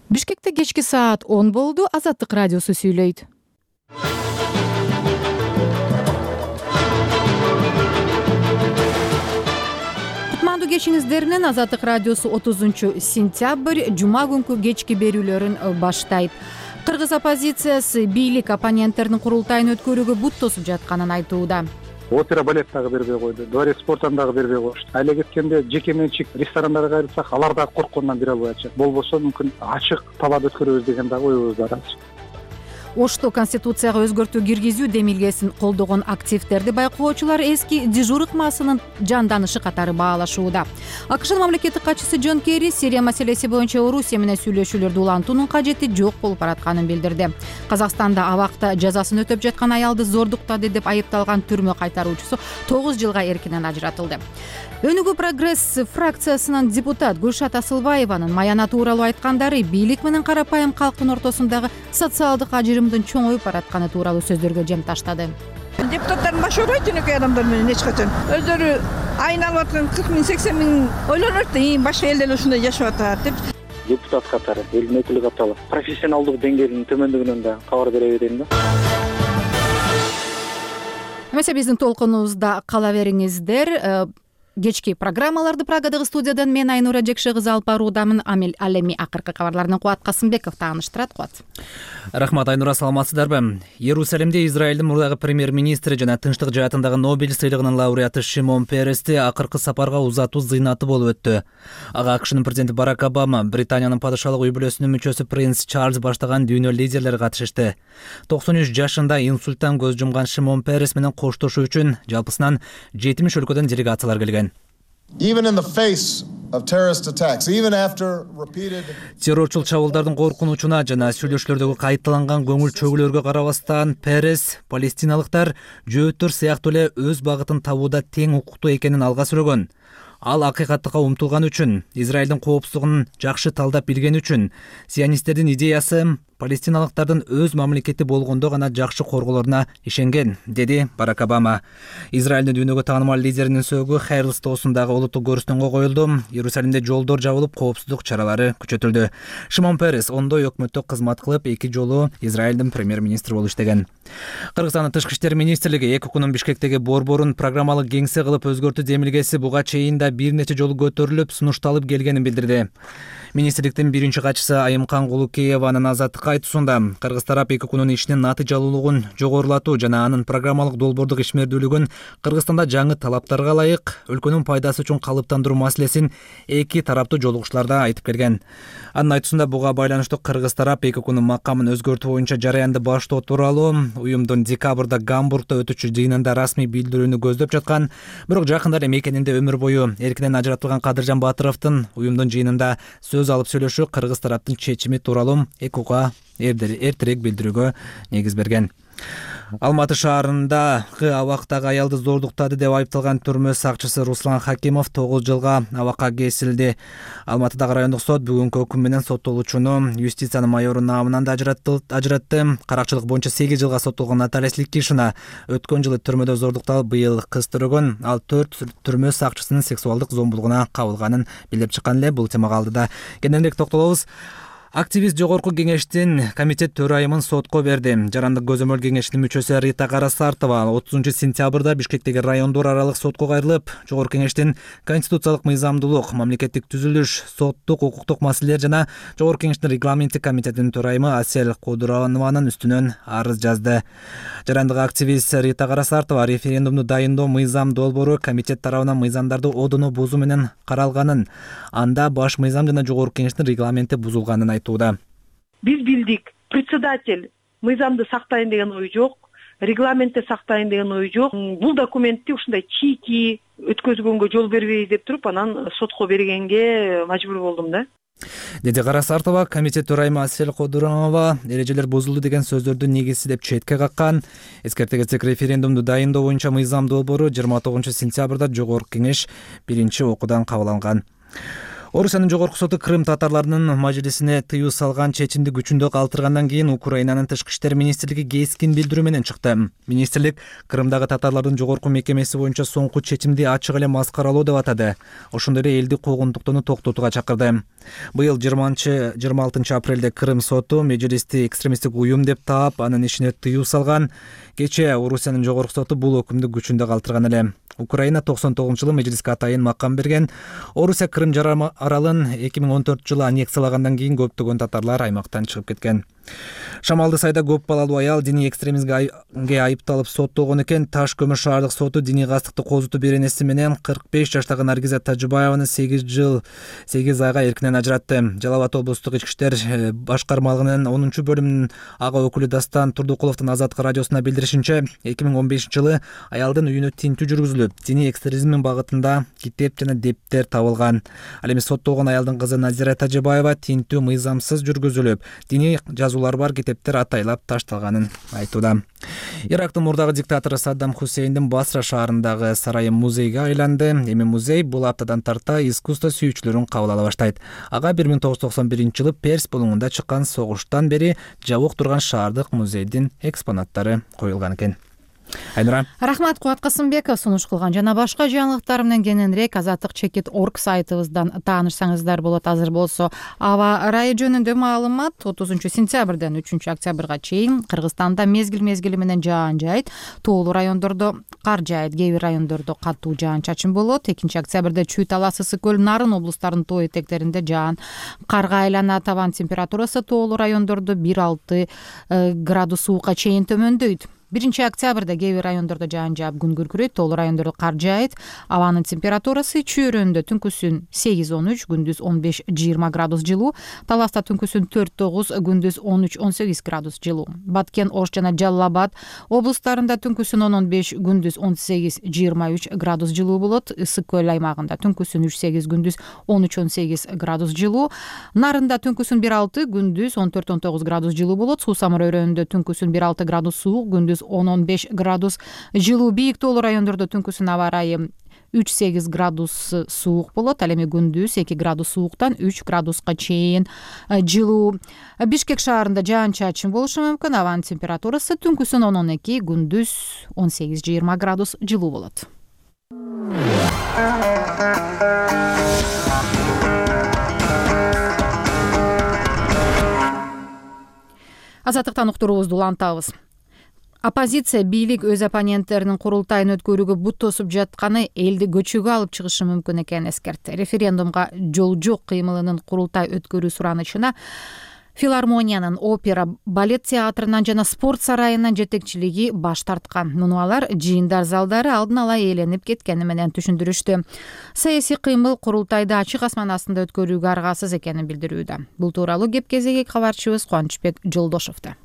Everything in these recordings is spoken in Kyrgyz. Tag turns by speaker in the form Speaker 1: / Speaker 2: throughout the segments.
Speaker 1: Бишкекте кечки саат 10 болду. Азаттык радиосу сүйлөйт. Кутмандуу кечиңиздер менен Азаттык радиосу 30-сентябрь жума күнкү кечки берүүлөрүн баштайт. Кыргыз оппозициясы бийлик оппоненттердин курултайын өткөрүүгө бут тосуп жатканын айтууда.
Speaker 2: Опера балет дагы бербей койду, дворец спорттан дагы бербей коюшту. Айла кеткенде жеке менчик ресторандарга кайрылсак, алар дагы корккондон бере албай атышат. Болбосо мүмкүн ачык талап өткөрөбүз деген дагы оюбуз бар азыр.
Speaker 1: Ошто Конституцияга өзгөртүү киргизүү демилгесин колдогон активдерди байкоочулар эски дежур ыкмасынын жанданышы катары баалашууда. АКШнын мамлекеттик катчысы Джон Керри Сирия маселеси боюнча Орусия менен сүйлөшүүлөрдү улантуунун кажети жок болуп баратканын билдирди. Казакстанда абакта жазасын өтөп жаткан аялды зордуктады деп айыпталган түрмө кайтаруучусу 9 жылга эркинен ажыратылды. Өнүгүү прогресс фракциясынын депутат Гүлшат Асылбаеванын маяна тууралуу айткандары бийлик менен карапайым калктын ортосундагы социалдык ажырымдын чоңоюп баратканы тууралуу сөздөргө жем таштады.
Speaker 3: Депутаттардын башы оорубайт жөнөкөй адамдар менен эч качан. Өздөрү айналып аткан 40 миң 80 миң ойлонот да, башка элдер ушундай жашап атат деп.
Speaker 2: Депутат катары, элдин өкүлү катары профессионалдык деңгээлинин төмөндүгүнөн да кабар бере берейин да.
Speaker 1: Эмесе биздин толкунубузда кала бериңиздер. Кечки программаларды Прагадагы студиядан мен Айнура Жекше кызы алып баруудамын. Ал эми акыркы кабарлардан Кубат Касымбеков тааныштырат. Кубат.
Speaker 4: Рахмат, Айнура, саламатсыздарбы? Иерусалимде Израилдин мурдагы премьер-министри жана Тынчтык жаатындагы Нобель сыйлыгынын лауреаты Шимон Перести акыркы сапарга узатуу зыйнаты болуп өттү. Ага АКШнын президенти Барак Обама, Британиянын падышалык үй бүлөсүнүн мүчөсү принц Чарльз баштаган дүйнө лидерлери катышышты. 93 жашында инсульттан көз жумган Шимон Перес менен коштошуу үчүн жалпысынан 70 өлкөдөн делегациялар келген. Террорчул чабуулдардын коркунучуна жана сүйлөшүүлөрдөгү кайталанган көңүл чөгүүлөргө карабастан Перес палестиналыктар жөөттөр сыяктуу эле өз багытын табууда тең укуктуу экенин алга сүрөгөн. Ал акыйкаттыкка умтулган үчүн, Израилдин коопсуздугун жакшы талдап билгени үчүн, сионисттердин идеясы палестиналыктардын өз мамлекети болгондо гана жакшы корголоруна ишенген, деди Барак Обама. Израилдин дүйнөгө таанымал лидеринин сөөгү Хайрлстоосундагы улуттук көрүстөнгө коюлду. Иерусалимде жолдор жабылып, коопсуздук чаралары күчөтүлдү. Шимон Перес ондой өкмөттө кызмат кылып, 2 жолу Израилдин премьер-министри болуп иштеген. Кыргызстандын тышкы иштер министрлиги 2 күнүн Бишкектеги борборун программалык кеңсе кылып өзгөртүү демилгеси буга чейин да бир нече жолу көтөрүлүп, сунушталып келгенин билдирди. Министрликтин биринчи катчысы Айымкан Кулукееванын Азаттыкка айтуусунда кыргыз тарап 2 күнүн ишинин натыйжалуулугун жогорулатуу жана анын программалык долбоордук ишмердүүлүгүн Кыргызстанда жаңы талаптарга ылайык өлкөнүн пайдасы үчүн калыптандыруу маселесин 2 тараптуу жолугушууларда айтып келген. Анын айтуусунда буга байланыштуу кыргыз тарап 2 күнүн макамын өзгөртүү боюнча жараянды баштоо тууралуу уюмдун декабрда Гамбургда өтүүчү жыйынында расмий билдирүүнү көздөп жаткан, бирок жакында эле мекенинде өмүр бою эркинен ажыратылган Кадыржан Батыровдун уюмдун жыйынында сөз алып сүйлөшүү кыргыз тараптын чечими тууралуу ЭКУга эртерээк билдирүүгө негиз берген. Алматы шаарындагы абактагы аялды зордуктады деп айыпталган түрмө сакчысы Руслан Хакимов 9 жылга абакка кесилди. Алматыдагы райондук сот бүгүнкү өкүм менен соттолуучуну юстициянын майору наамынан да ажыратты. Каракчылык боюнча 8 жылга соттолгон Наталья Сликишина өткөн жылы түрмөдө зордукталып, быйыл кыз төрөгөн. Ал 4 түрмө сакчысынын сексуалдык зомбулугуна кабылганын билдирип чыккан эле. Бул темага алдыда кененирээк токтолобуз. Активист жогорку кеңештин комитет төрайымын сотко берди. Жарандык көзөмөл кеңешинин мүчөсү Рита Карасартова 30-сентябрда Бишкектеги райондор аралык сотко кайрылып, жогорку кеңештин конституциялык мыйзамдуулук, мамлекеттик түзүлүш, соттук, укуктук маселелер жана жогорку кеңештин регламенттик комитетинин төрайымы Асель Кудурованын үстүнөн арыз жазды. Жарандык активист Рита Карасартова референдумду дайындоо мыйзам долбоору комитет тарабынан мыйзамдарды одоно бузуу менен каралганын, анда баш мыйзам жана жогорку кеңештин регламенти бузулганын айтууда.
Speaker 5: Биз билдик, председатель мыйзамды сактайын деген ой жок, регламентти сактайын деген ой жок. Бул документти ушундай чийки өткөзгөнгө жол бербей деп туруп, анан сотко бергенге мажбур болдум да.
Speaker 4: Деди Карасартова. Комитет төрайымы Асель Кудурованова эрежелер бузулду деген сөздөрдү негизсиздеп четке каккан. Эскерте кетсек, референдумду дайындоо боюнча мыйзам долбоору 29 сентябрда жогорку кеңеш биринчи окуудан кабыл алган. Орусиянын жогорку соту Крым татарларынын мажлисине тыюу салган чечимди күчүндө калтыргандан кийин Украинанын тышкы иштер министрлиги кескин билдирүү менен чыкты. Министрлик Крымдагы татарлардын жогорку мекемеси боюнча соңку чечимди ачык эле маскаралоо деп атады. Ошондой эле элди куугунтуктоону токтотууга чакырды. Быйыл 26 апрелде Крым соту мажлисти экстремисттик уюм деп таап, анын ишине тыюу салган. Кечээ Орусиянын жогорку соту бул өкүмдү күчүндө калтырган эле. Украина 99-жылы мажлиске атайын макам берген. Орусия Крым жарым аралын 2014-жылы аннексиялагандан кийин көптөгөн татарлар аймактан чыгып кеткен. Шамалды сайда көп балалуу аял диний экстремизмге айыпталып соттолгон экен. Таш көмүр шаардык соту диний кастыкты козутуу беренеси менен 45 жаштагы Наргиза Тажыбаеваны 8 жыл 8 айга эркинен ажыратты. Жалал Абад облустук ички иштер башкармалыгынын 10-бөлүмүнүн ага өкүлү Дастан Турдукуловдун Азаттык радиосуна билдиришинче, 2015-жылы аялдын үйүнө тинтүү жүргүзүлүп, диний экстремизм багытында китеп жана дептер табылган. Ал эми соттолгон аялдын кызы Назира Тажыбаева тинтүү мыйзамсыз жүргүзүлүп, диний жазуулар бар китептер атайлап ташталганын айтууда. Ирактын мурдагы диктатору Саддам Хусейндин Басра шаарындагы сарайы музейге айланды. Эми музей бул аптадан тарта искусство сүйүүчүлөрүн кабыл ала баштайт. Ага 1991-жылы Перс булуңунда чыккан согуштан бери жабык турган шаардык музейдин экспонаттары коюлган экен. Айнура.
Speaker 1: Рахмат, Кубат Касымбеков сунуш кылган жана башка жаңылыктар менен кененирээк azatlyk.org сайтыбыздан таанышсаңыздар болот. Азыр болсо аба ырайы жөнүндө маалымат. 30-сентябрдан 3-октябрга чейин Кыргызстанда мезгил менен жаан жайт, тоолуу райондордо кар жайт, кээ бир райондордо катуу жаан-чачын болот. 2-октябрда Чүй, Талас, Ысык көл, Нарын облустарынын тоо этектеринде жаан карга айланат. Табан температурасы тоолуу райондордо 1-6 градус суукка чейин төмөндөйт. 1-октябрда кээ бир райондордо жаан жаап күн күркүрөйт, тоолуу райондордо кар жаайт. Абанын температурасы Чүйрөндө түнкүсүн 8-13, күндүз 15-20 градус жылуу, Таласта түнкүсүн 4-9, күндүз 13-18 градус жылуу. Баткен, Ош жана Жалал Абад облустарында түнкүсүн 10-15, күндүз 18-23 градус жылуу болот. Ысык көл аймагында түнкүсүн 3-8, күндүз 13-18 градус жылуу. Нарында түнкүсүн 1-6, күндүз 14-19 градус жылуу болот. Суусамыр өрөөнүндө түнкүсүн 1-6 градус суук, күндүз 10-15 градус жылуу. Бийик тоолуу райондордо түнкүсүн аба ырайы 3-8 градус суук болот. Ал эми күндүз 2 градус сууктан 3 градуска чейин жылуу. Бишкек шаарында жаан-чачын болушу мүмкүн. Абанын температурасы түнкүсүн 10-12, күндүз 18-20 градус жылуу болот. Азаттыктан уктуруубузду улантабыз. Оппозиция бийлик өз оппоненттеринин курултайын өткөрүүгө бут тосуп жатканы элди көчүүгө алып чыгышы мүмкүн экенин эскертти. Референдумга жол жок кыймылынын курултай өткөрүү суранычына филармониянын, опера, балет театрынан жана спорт сарайынын жетекчилиги баш тарткан. Муну алар жыйындар залдары алдын ала ээленип кеткени менен түшүндүрүштү. Саясий кыймыл курултайды ачык асман астында өткөрүүгө аргасыз экенин билдирүүдө. Бул тууралуу кеп кезеги кабарчыбыз Кубанычбек Жолдошовдо.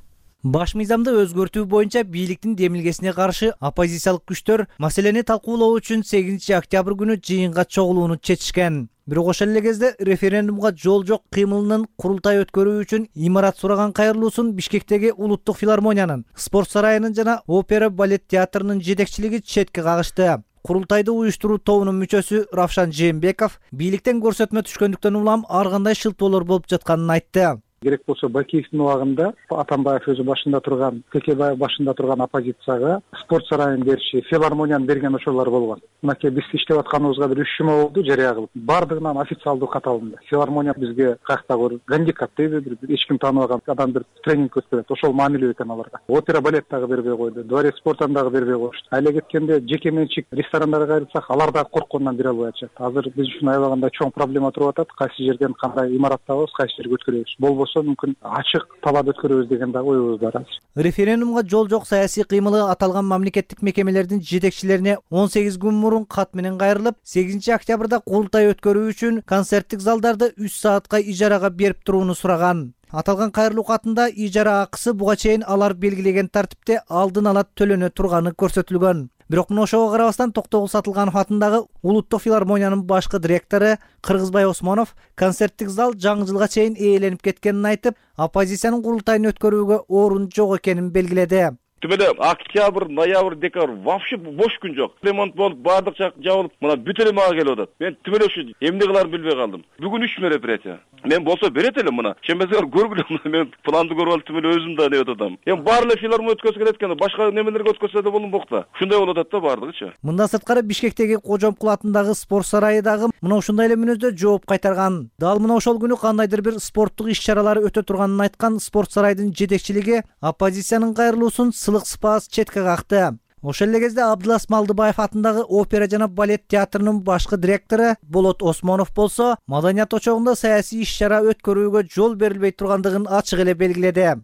Speaker 6: Баш мыйзамды өзгөртүү боюнча бийликтин демилгесине каршы оппозициялык күчтөр маселени талкуулоо үчүн 8-октябрь күнү жыйынга чогулууну чечишкен. Бирок ошол эле кезде референдумга жол жок кыймылынын курултай өткөрүү үчүн имарат сураган кайрылуусун Бишкектеги Улуттук филармониянын, спорт сарайынын жана опера балет театрынын жетекчилиги четке кагышты. Курултайды уюштуруу тобунун мүчөсү Равшан Жээнбеков бийликтен көрсөтмө түшкөндүктөн улам ар кандай шылтоолор болуп жатканын айтты.
Speaker 2: Керек болсо Бакиевдин убагында Атамбаев өзү башында турган, Кекебаев башында турган оппозицияга спорт сарайын бериши, филармонияны берген ошолор болгон. Мынакей биз иштеп атканыбызга бир 3 жума болду, жарыя кылып. Бардыгынан официалдуу кат алынды. Филармония бизге каяктагы гандикап дейби, эч ким тааныбаган адам бир тренинг өткөрөт. Ошол маанилүү экен аларга. Опера балет дагы бербей койду, дворец спортун дагы бербей коюшту. Айла кеткенде жеке менчик ресторандарга кайрылсак, алар дагы корккондон бере албай атышат. Азыр биз үчүн аябагандай чоң проблема туруп атат. Кайсы жерден кандай имарат табабыз, кайсы жерге өткөрөбүз. Болбосо мүмкүн ачык талап өткөрөбүз деген да оюбуз бар азыр.
Speaker 6: Референдумга жол жок саясий кыймылы аталган мамлекеттик мекемелердин жетекчилерине 18 күн мурун кат менен кайрылып, 8-октябрда курултай өткөрүү үчүн концерттик залдарды 3 саатка ижарага берип турууну сураган. Аталган кайрылуу катында ижара акысы буга чейин алар белгилеген тартипте алдын ала төлөнө турганы көрсөтүлгөн. Бирок мына ошого карабастан Токтогул Сатылганов атындагы Улуттук филармониянын башкы директору Кыргызбай Осмонов концерттик зал жаңы жылга чейин ээленип кеткенин айтып, оппозициянын курултайын өткөрүүгө орун жок экенин белгиледи.
Speaker 7: Тим эле октябрь, ноябрь, декабрь вообще бош күн жок. Ремонт болуп, баардык жак жабылып, мына бүт эле мага келип атат. Мен тим эле ушу эмне кыларын билбей калдым. Бүгүн 3 мероприятие. Мен болсо берет элем мына. Чембезер көргүлө, мен планды көрүп алып тим эле өзүм да неп атам. Эми баары эле филармония өткөзүп келет экен, башка немелерге өткөзсө да болмок да. Ушундай болуп атат да баардыгычы.
Speaker 6: Мындан сырткары Бишкектеги Кожомкул атындагы спорт сарайы дагы мына ушундай эле мүнөздө жооп кайтарган. Дал мына ошол күнү кандайдыр бир спорттук иш-чаралары өтө турганын айткан спорт сарайдын жетекчилиги оппозициянын кайрылуусун сылык сыпаас четке какты. Ошол эле кезде Абдылас Малдыбаев атындагы опера жана балет театрынын башкы директору Болот Осмонов болсо маданият очогунда саясий иш-чара өткөрүүгө жол берилбей тургандыгын ачык эле белгиледи.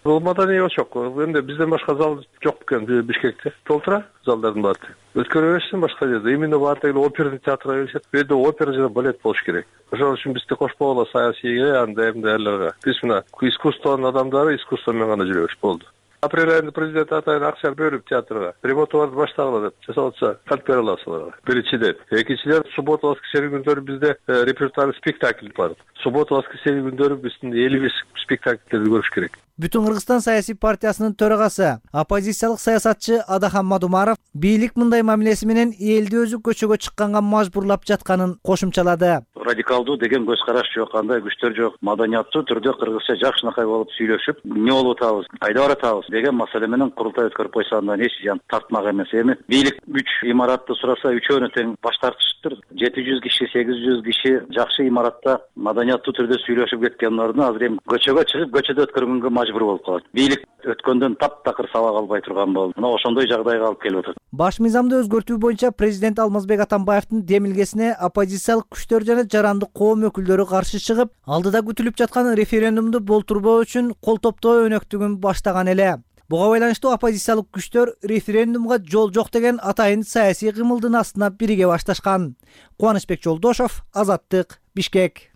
Speaker 8: Бул маданий очок. Эми бизден башка зал жок экен Бишкекте. Толтура залдардын баары. Өткөрө беришsin башка жерде. Именно баардыгы оперный театрга келишет. Бу жерде опера жана балет болуш керек. Ошол үчүн бизди кошпогула саясийге, анда эмнелерге. Биз мына искусствонун адамдары искусство менен гана жүрөбүз болду. Апрель айында президент атайын акча бөлүп театрга ремонттарды баштагыла деп жасап атса калп бере аласыздар. Биринчиден, экинчиден суббота воскресенье күндөрү бизде репертуар спектакль бар. Суббота воскресенье күндөрү биздин 55 спектакльдерди көрүш керек.
Speaker 6: Бүтүн Кыргызстан саясий партиясынын төрагасы, оппозициялык саясатчы Адахан Мадумаров бийлик мындай мамилеси менен элди өзү көчөгө чыкканга мажбурлап жатканын кошумчалады.
Speaker 9: Радикалдуу деген көз караш жок, андай күчтөр жок. Маданияттуу түрдө кыргызча жакшынакай болуп сүйлөшүп, эмне болуп атабыз, кайда баратабыз деген маселе менен курултай өткөрүп койсо андан эч зыян тартмак эмес. Эми бийлик 3 имаратты сураса, үчөөнү тең баш тартышыптыр. 700 киши, 800 киши жакшы имаратта маданияттуу түрдө сүйлөшүп кеткендерди азыр эми көчөгө чыгып, көчөдө өткөргөнгө мажбур болуп калат. Бийлик өткөндөн таптакыр сабак албай турган болду. Мына ошондой жагдайга алып келип атат.
Speaker 6: Баш мыйзамды өзгөртүү боюнча президент Алмазбек Атамбаевдин демилгесине оппозициялык күчтөр жана жарандык коом өкүлдөрү каршы чыгып, алдыда күтүлүп жаткан референдумду болтурбоо үчүн кол топтоо өнөктүгүн баштаган эле. Буга байланыштуу оппозициялык күчтөр референдумга жол жок деген атайын саясий кымылдын астына бириге башташкан. Кубанычбек Жолдошов, Азаттык, Бишкек.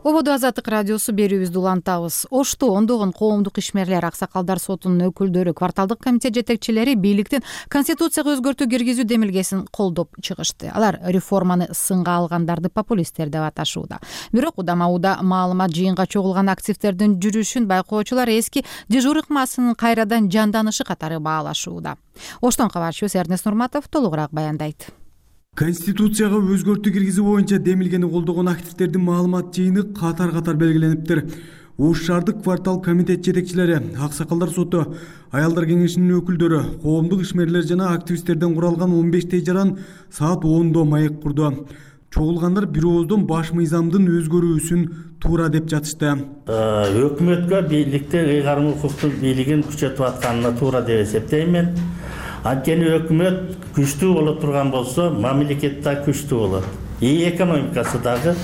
Speaker 1: Ободо Азаттык радиосу берүүбүздү улантабыз. Ошто ондогон коомдук ишмерлер, аксакалдар сотунун өкүлдөрү, кварталдык комитет жетекчилери бийликтин конституцияга өзгөртүү киргизүү демилгесин колдоп чыгышты. Алар реформаны сынга алгандарды популисттер деп аташууда. Бирок удама-уда маалымат жыйынга чогулган активдердин жүрүшүн байкоочулар эски дежур ыкмасынын кайрадан жанданышы катары баалашууда. Оштон кабарчыбыз Эрнест Нурматов толугураак баяндайт.
Speaker 10: Конституцияга өзгөртүү киргизүү боюнча демилгени колдогон активдердин маалымат жыйыны катар-катар белгилениптир. Ош шаардык квартал комитет жетекчилери, аксакалдар соту, аялдар кеңешинин өкүлдөрү, коомдук ишмерлер жана активисттерден куралган 15 жаран саат 10-до маек курду. Чогулгандар бир ооздон баш мыйзамдын өзгөрүүсүн туура деп жатышты.
Speaker 11: Өкмөткө бийликте ыйгарым укуктун бийлигин күчөтүп атканына туура деп эсептейм. Анткени өкмөт күчтүү боло турган болсо, мамлекет да күчтүү болот. Экономикасы дагы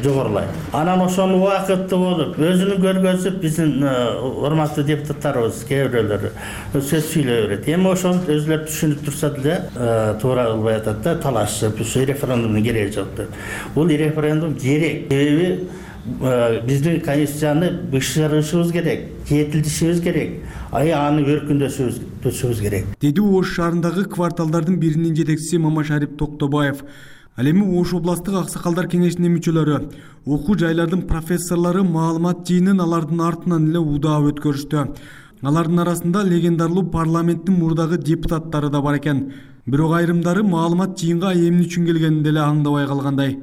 Speaker 11: жогорулайт. Анан ошону убакытты болуп, өзүнүн көргөзүп, биздин урматтуу депутаттарыбыз кээ бирөөлөрү сөз сүйлөй берет. Эми ошону өзүлөр түшүнүп турса деле туура кылбай атат да, талашып, референдумдун кереги жок деп. Бул референдум керек. Себеби биздин конституцияны бышырышыбыз керек, жетилдишибиз керек. Аны өркүндөтүшүбүз керек.
Speaker 10: Деди Ош шаарындагы кварталдардын биринин жетекчиси Мамашарип Токтобаев. Ал эми Ош областтык аксакалдар кеңешинин мүчөлөрү, окуу жайлардын профессорлору маалымат жыйынын алардын артынан эле удаа өткөрүштү. Алардын арасында легендарлуу парламенттин мурдагы депутаттары да бар экен. Бирок айрымдары маалымат жыйынга эмне үчүн келгенин деле аңдабай калгандай.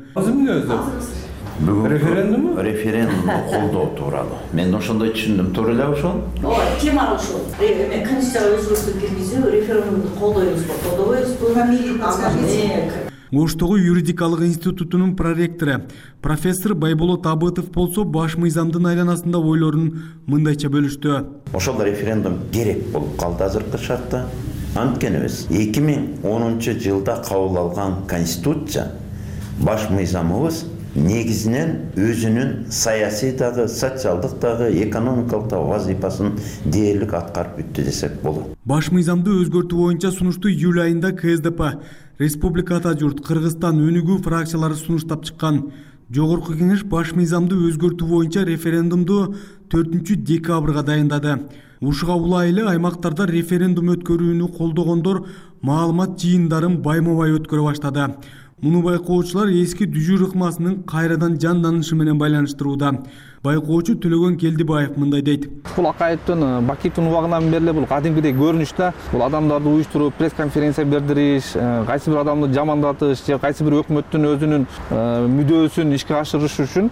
Speaker 12: Бүгүн референдумду колдоо тууралуу. Мен ошондой түшүндүм. Туура эле ошол?
Speaker 13: Ооба, тема ошол. Мен конституцияга өзгөртүү киргизүү, референдумду колдойбузбу, колдобойбузбу?
Speaker 10: Оштогу юридикалык институтунун проректору профессор Байболот Абытов болсо баш мыйзамдын айланасында ойлорун мындайча бөлүштү.
Speaker 12: Ошол референдум керек болуп калды азыркы шартта. Анткени биз 2010-жылда кабыл алган конституция баш мыйзамыбыз негизинен өзүнүн саясий дагы, социалдык дагы, экономикалык дагы вазифасын дээрлик аткарып бүттү десек болот.
Speaker 10: Баш мыйзамды өзгөртүү боюнча сунушту июль айында КСДП, Республика Ата журт, Кыргызстан өнүгүү фракциялары сунуштап чыккан. Жогорку кеңеш баш мыйзамды өзгөртүү боюнча референдумду 4-декабрга дайындады. Ушуга улай эле аймактарда референдум өткөрүүнү колдогондор маалымат жыйындарын байма-бай өткөрө баштады. Муну байкоочулар эски дүжүр ыкмасынын кайрадан жанданышы менен байланыштырууда. Байкоочу Төлөгөн Келдибаев мындай дейт.
Speaker 14: Бул акайыптын Бакиевдин убагынан бери бул кадимкидей көрүнүш да. Бул адамдарды уюштуруп, пресс-конференция бердириш, кайсы бир адамды жамандатыш же кайсы бир өкмөттүн өзүнүн мүдөөсүн ишке ашырыш үчүн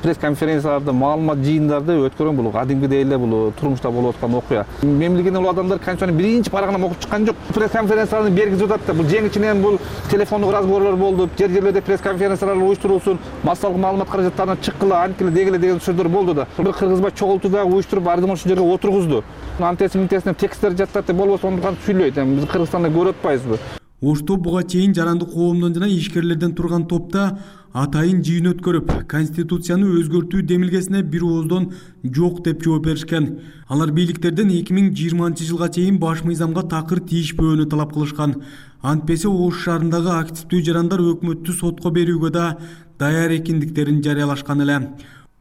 Speaker 14: пресс-конференцияларды, маалымат жыйындарды өткөргөн бул кадимкидей эле бул турмушта болуп аткан окуя. Мен билгенден бул адамдар конституциянын биринчи парагынан окуп чыккан жок. Пресс-конференцияларды бергизип атат да. Бул жеңичинен бул телефондук разговорлор болду, жер-жерлерде пресс-конференциялар уюштурулсун, массалык маалымат каражаттарына чыккыла, анткиле дегиле сөздөр болду да. Бир кыргызбай чогулту да, уюштуруп ардым ошол жерге отургузду. Антесин тексттер жаттат деп болбосо ондукан сүйлөйт. Биз Кыргызстанда көрүп атпайбызбы? Ошто
Speaker 10: буга чейин жарандык коомдон жана ишкерлерден турган топта атайын жыйын өткөрүп, Конституцияны өзгөртүү демилгесине бир ооздон жок деп жооп беришкен. Алар бийликтерден 2020-жылга чейин баш мыйзамга такыр тийишпөөнү талап кылышкан. Антпесе Ош шаарындагы активдүү жарандар өкмөттү сотко берүүгө да даяр экендиктерин жарыялашкан эле.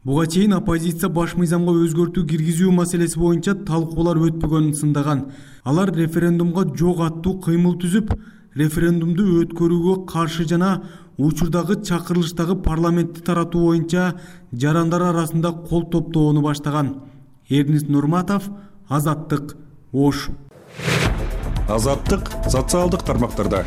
Speaker 10: Буга чейин оппозиция баш мыйзамга өзгөртүү киргизүү маселеси боюнча талкуулар өтпөгөнүн сындаган. Алар референдумга жок аттуу кыймыл түзүп, референдумду өткөрүүгө каршы жана учурдагы чакырылыштагы парламентти таратуу боюнча жарандар арасында кол топтоону баштаган. Эрнис Нурматов, Азаттык, Ош.
Speaker 15: Азаттык социалдык тармактарда.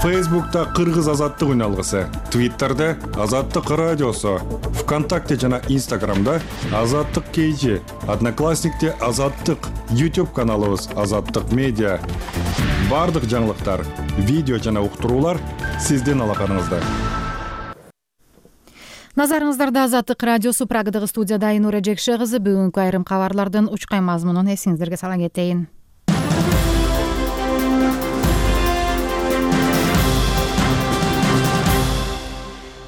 Speaker 15: Фейсбукта Кыргыз азаттык үналгысы, Твиттерде Азаттык радиосу, ВКонтакте жана Инстаграмда Азаттык KG, Одноклассникте Азаттык, YouTube каналыбыз Азаттык медиа. Бардык жаңылыктар, видео жана уктуруулар сиздин алаканыңызда.
Speaker 1: Назарыңыздарда Азаттык радиосу, Прагадагы студияда Айнура Жекше кызы. Бүгүнкү айрым кабарлардын учкай мазмунун эсиңиздерге сала кетейин.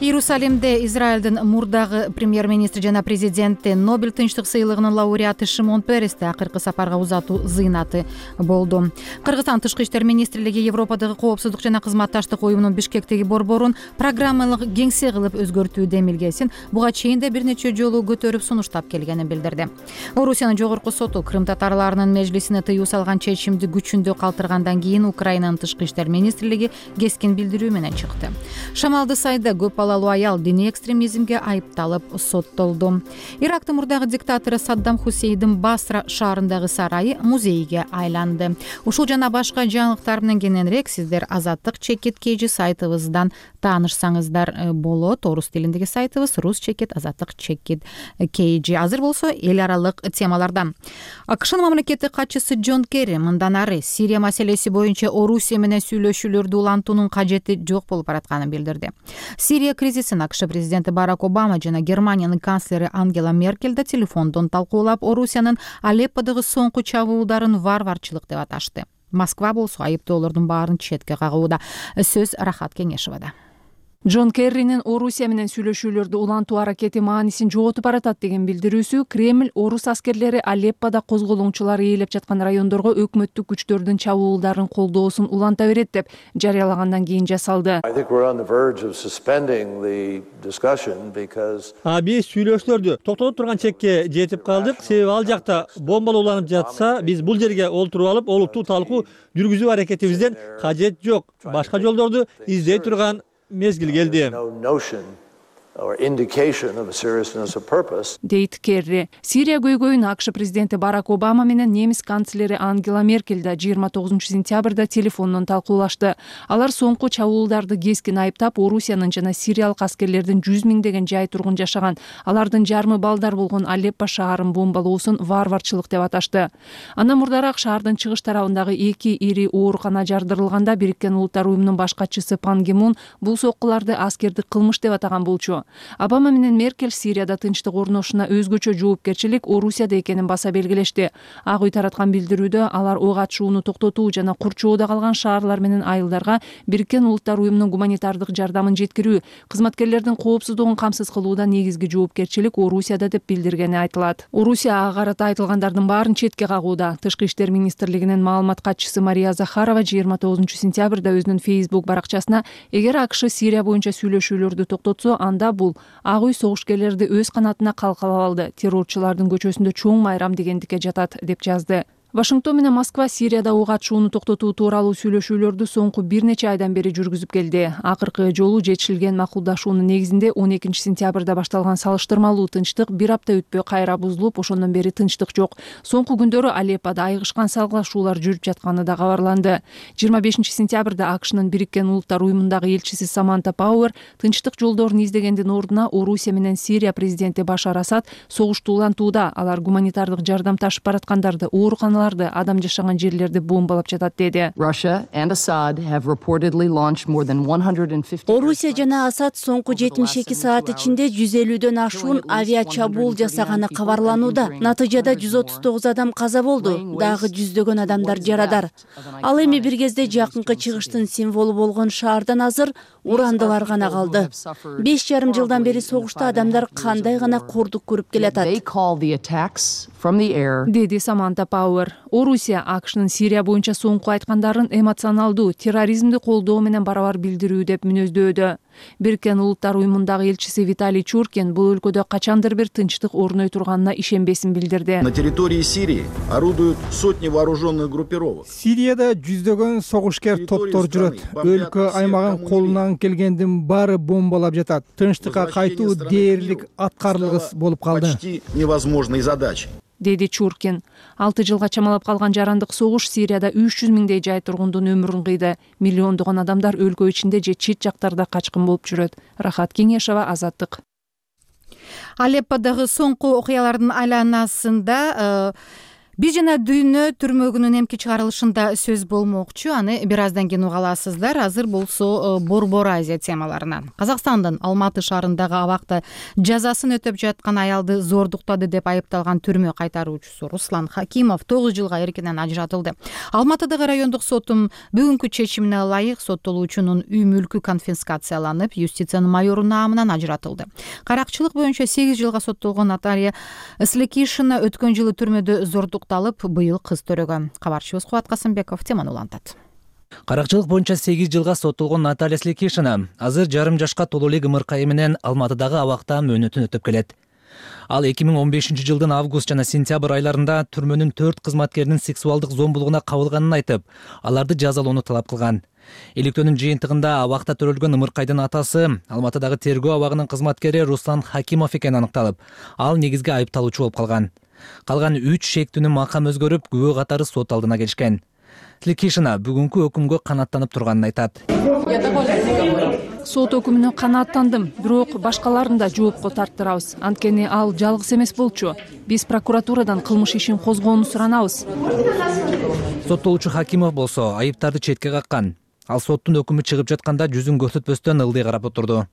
Speaker 1: Иерусалимде Израилдин мурдагы премьер-министри жана президенти, Нобель тынчтык сыйлыгынын лауреаты Шимон Пересте акыркы сапарга узатуу зыйнаты болду. Кыргызстан Тышкы иштер министрлиги Европадагы коопсуздук жана кызматташтык уюмунун Бишкектеги борборун программалык кеңсе кылып өзгөртүү демилгесин буга чейин да бир нече жолу көтөрүп сунуштап келгенин билдирди. Орусиянын жогорку соту Крым татарларынын межлисине тыюу салган чечимди күчүндө калтыргандан кийин Украинанын Тышкы иштер министрлиги кескин билдирүү менен чыкты. Шамалды сайда көп аял диний экстремизмге айыпталып соттолду. Ирактын мурдагы диктатору Саддам Хусейндин Басра шаарындагы сарайы музейге айланды. Ушул жана башка жаңылыктар менен кененирээк сиздер Азаттык чекит KG сайтыбыздан таанышсаңыздар болот. Орус тилиндеги сайтыбыз рус чекит Азаттык чекит KG. Азыр болсо эл аралык темалардан. АКШнын мамлекеттик катчысы Джон Керри мындан ары Сирия маселеси боюнча Орусия менен сүйлөшүүлөрдү улантуунун кажети жок болуп баратканын билдирди. Сирия кризисин АКШ президенти Барак Обама жана Германиянын канцлери Ангела Меркель да телефондон талкуулап, Орусиянын Алепподогу соңку чабуулдарын варварчылык деп аташты. Москва болсо айыптоолордун баарын четке кагууда. Сөз Рахат Кеңешевада. Джон Керринин Орусия менен сүйлөшүүлөрдү улантуу аракети маанисин жоготуп баратат деген билдирүүсү Кремль орус аскерлери Алепподо козголоңчулар ээлеп жаткан райондорго өкмөттүк күчтөрдүн чабуулдарын колдоосун уланта берет деп жарыялагандан кийин жасалды.
Speaker 16: Биз сүйлөшүүлөрдү токтотуп турган чекке жетип калдык. Себеби ал жакта бомбалууланып жатса, биз бул жерге олтуруп алып, олуттуу талкуу жүргүзүү аракетибизден кажет жок. Башка жолдорду издей турган мезгил келди.
Speaker 1: Дейт Керри. Сирия көйгөйүн АКШ президенти Барак Обама менен немис канцлери Ангела Меркель да 29-сентябрда телефондон талкуулашты. Алар соңку чабуулдарды кескин айыптап, Орусиянын жана сириялык аскерлердин 100 миңдеген жай тургун жашаган, алардын жарымы балдар болгон Алеппо шаарын бомбалоосун варварчылык деп аташты. Андан мурдараак шаардын чыгыш тарабындагы 2 ири оорукана жардырылганда Бириккен Улуттар уюмунун баш катчысы Пан Ги Мун бул соккуларды аскердик кылмыш деп атаган болчу. Обама менен Меркель Сирияда тынчтык орношуна өзгөчө жоопкерчилик Орусияда экенин баса белгилешти. Ак үй тараткан билдирүүдө алар ок атышууну токтотуу жана курчоодо калган шаарлар менен айылдарга Бириккен Улуттар уюмунун гуманитардык жардамын жеткирүү, кызматкерлердин коопсуздугун камсыз кылууда негизги жоопкерчилик Орусияда деп билдиргени айтылат. Орусия ага карата айтылгандардын баарын четке кагууда. Тышкы иштер министрлигинин маалымат катчысы Мария Захарова 29-сентябрда өзүнүн Facebook баракчасына эгер АКШ Сирия боюнча сүйлөшүүлөрдү токтотсо, анда бул Ак үй согушкерлерди өз канатына калкалап алды, террорчулардын көчөсүндө чоң майрам дегендикке жатат деп жазды. Вашингтон менен Москва Сирияда ок атышууну токтотуу тууралуу сүйлөшүүлөрдү соңку бир нече айдан бери жүргүзүп келди. Акыркы жолу жетишилген макулдашуунун негизинде 12 сентябрда башталган салыштырмалуу тынчтык бир апта өтпөй кайра бузулуп, ошондон бери тынчтык жок. Соңку күндөрү Алеппода айыгышкан салгылашуулар жүрүп жатканы да кабарланды. 25 сентябрда АКШнын Бириккен Улуттар уюмундагы элчиси Саманта Пауэр тынчтык жолдорун издегендин ордуна Орусия менен Сирия президенти Башар Асад согушту улантууда. Алар гуманитардык жардам ташып бараткандарды, ооруканаларды, адам жашаган жерлерди бомбалап жатат деди.
Speaker 17: Орусия жана Асад соңку 72 саат ичинде 150дөн ашуун авиа чабуул жасаганы кабарланууда. Натыйжада 139 адам каза болду, дагы жүздөгөн адамдар жарадар. Ал эми бир кезде жакынкы чыгыштын символу болгон шаардан азыр урандылар гана калды. 5,5 жылдан бери согушта адамдар кандай гана кордук көрүп келатат,
Speaker 1: деди Саманта Пауэр. Орусия АКШнын Сирия боюнча соңку айткандарын эмоционалдуу, терроризмди колдоо менен барабар билдирүү деп мүнөздөөдө. Бириккен Улуттар уюмундагы элчиси Виталий Чуркин бул өлкөдө качандыр бир тынчтык орной турганына ишенбесин билдирди.
Speaker 18: На территории Сирии орудуют сотни вооруженных группировок.
Speaker 19: Сирияда жүздөгөн согушкер топтор жүрөт. Өлкө аймагын колунан келгендин баары бомбалап жатат. Тынчтыкка кайтуу дээрлик аткарылгыс болуп калды.
Speaker 18: Почти невозможной задачей,
Speaker 1: деди Чуркин. 6 жылга чамалап калган жарандык согуш Сирияда 300 миңдей жай тургундун өмүрүн кыйды. Миллиондогон адамдар өлкө ичинде же чет жактарда качкын болуп жүрөт. Рахат Кеңешова, Азаттык. Алепподагы соңку окуялардын айланасында Биз жана дүйнө түрмөгүнүн эмки чыгарылышында сөз болмокчу. Аны бир аздан кийин уга аласыздар. Азыр болсо Борбор Азия темаларынан. Казакстандын Алматы шаарындагы абакта жазасын өтөп жаткан аялды зордуктады деп айыпталган түрмө кайтаруучусу Руслан Хакимов 9 жылга эркинен ажыратылды. Алматыдагы райондук сотун бүгүнкү чечимине ылайык соттолуучунун үй мүлкү конфискацияланып, юстициянын майору наамынан ажыратылды. Каракчылык боюнча 8 жылга соттолгон Наталья Слекишина өткөн жылы түрмөдө зордук быйыл кыз төрөгөн. Кабарчыбыз Кубат Касымбеков теманы улантат.
Speaker 4: Каракчылык боюнча 8 жылга соттолгон Наталья Слекишина азыр жарым жашка толуу элек ымыркайы менен Алматыдагы абакта мөөнөтүн өтөп келет. Ал 2015 жылдын август жана сентябрь айларында түрмөнүн 4 кызматкеринин сексуалдык зомбулугуна кабылганын айтып, аларды жазалоону талап кылган. Иликтөөнүн жыйынтыгында абакта төрөлгөн ымыркайдын атасы Алматыдагы тергөө абагынын кызматкери Руслан Хакимов экени аныкталып, ал негизги айыпталуучу болуп калган. Калган 3 шектүүнүн макам өзгөрүп, күбө катары сот алдына келишкен. Слекишина бүгүнкү өкүмгө канааттанып турганын айтат.
Speaker 1: Сот өкүмүнө канааттандым, бирок башкаларын да жоопко тарттырабыз. Анткени ал жалгыз эмес болчу. Биз прокуратурадан кылмыш ишин козгоону суранабыз.
Speaker 4: Соттолуучу Хакимов болсо айыптарды четке каккан. Ал соттун өкүмү чыгып жатканда жүзүн көрсөтпөстөн ылдый карап отурду.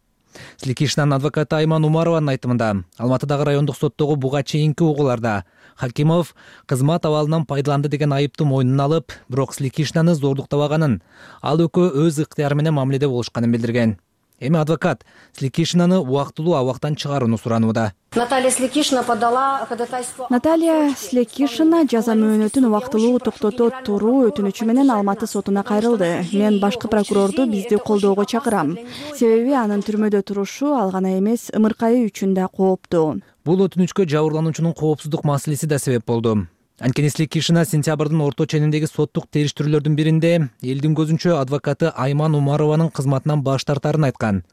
Speaker 4: Слекишинанын адвокаты Айман Умарованын айтымында, Алматыдагы райондук соттогу буга чейинки угууларда Хакимов кызмат абалынан пайдаланды деген айыпты мойнуна алып, бирок Слекишинаны зордуктабаганын, ал экөө өз ыктыяры менен мамиледе болушканын билдирген. Эми адвокат Слекишинаны убактылуу абактан чыгарууну суранууда.
Speaker 17: Наталья Слекишина подала ходатайство.
Speaker 20: Наталья Слекишина жаза мөөнөтүн убактылуу токтото туруу өтүнүчү менен Алматы сотуна кайрылды. Мен башкы прокурорду бизди колдоого чакырам. Себеби анын түрмөдө турушу ал гана эмес, ымыркайы үчүн да кооптуу.
Speaker 4: Бул өтүнүчкө жабырлануучунун коопсуздук маселеси да себеп болду. Анткени Слекишина сентябрдын орто чениндеги соттук териштирүүлөрдүн биринде элдин көзүнчө адвокаты Айман Умарованын кызматынан баш тартарын айткан.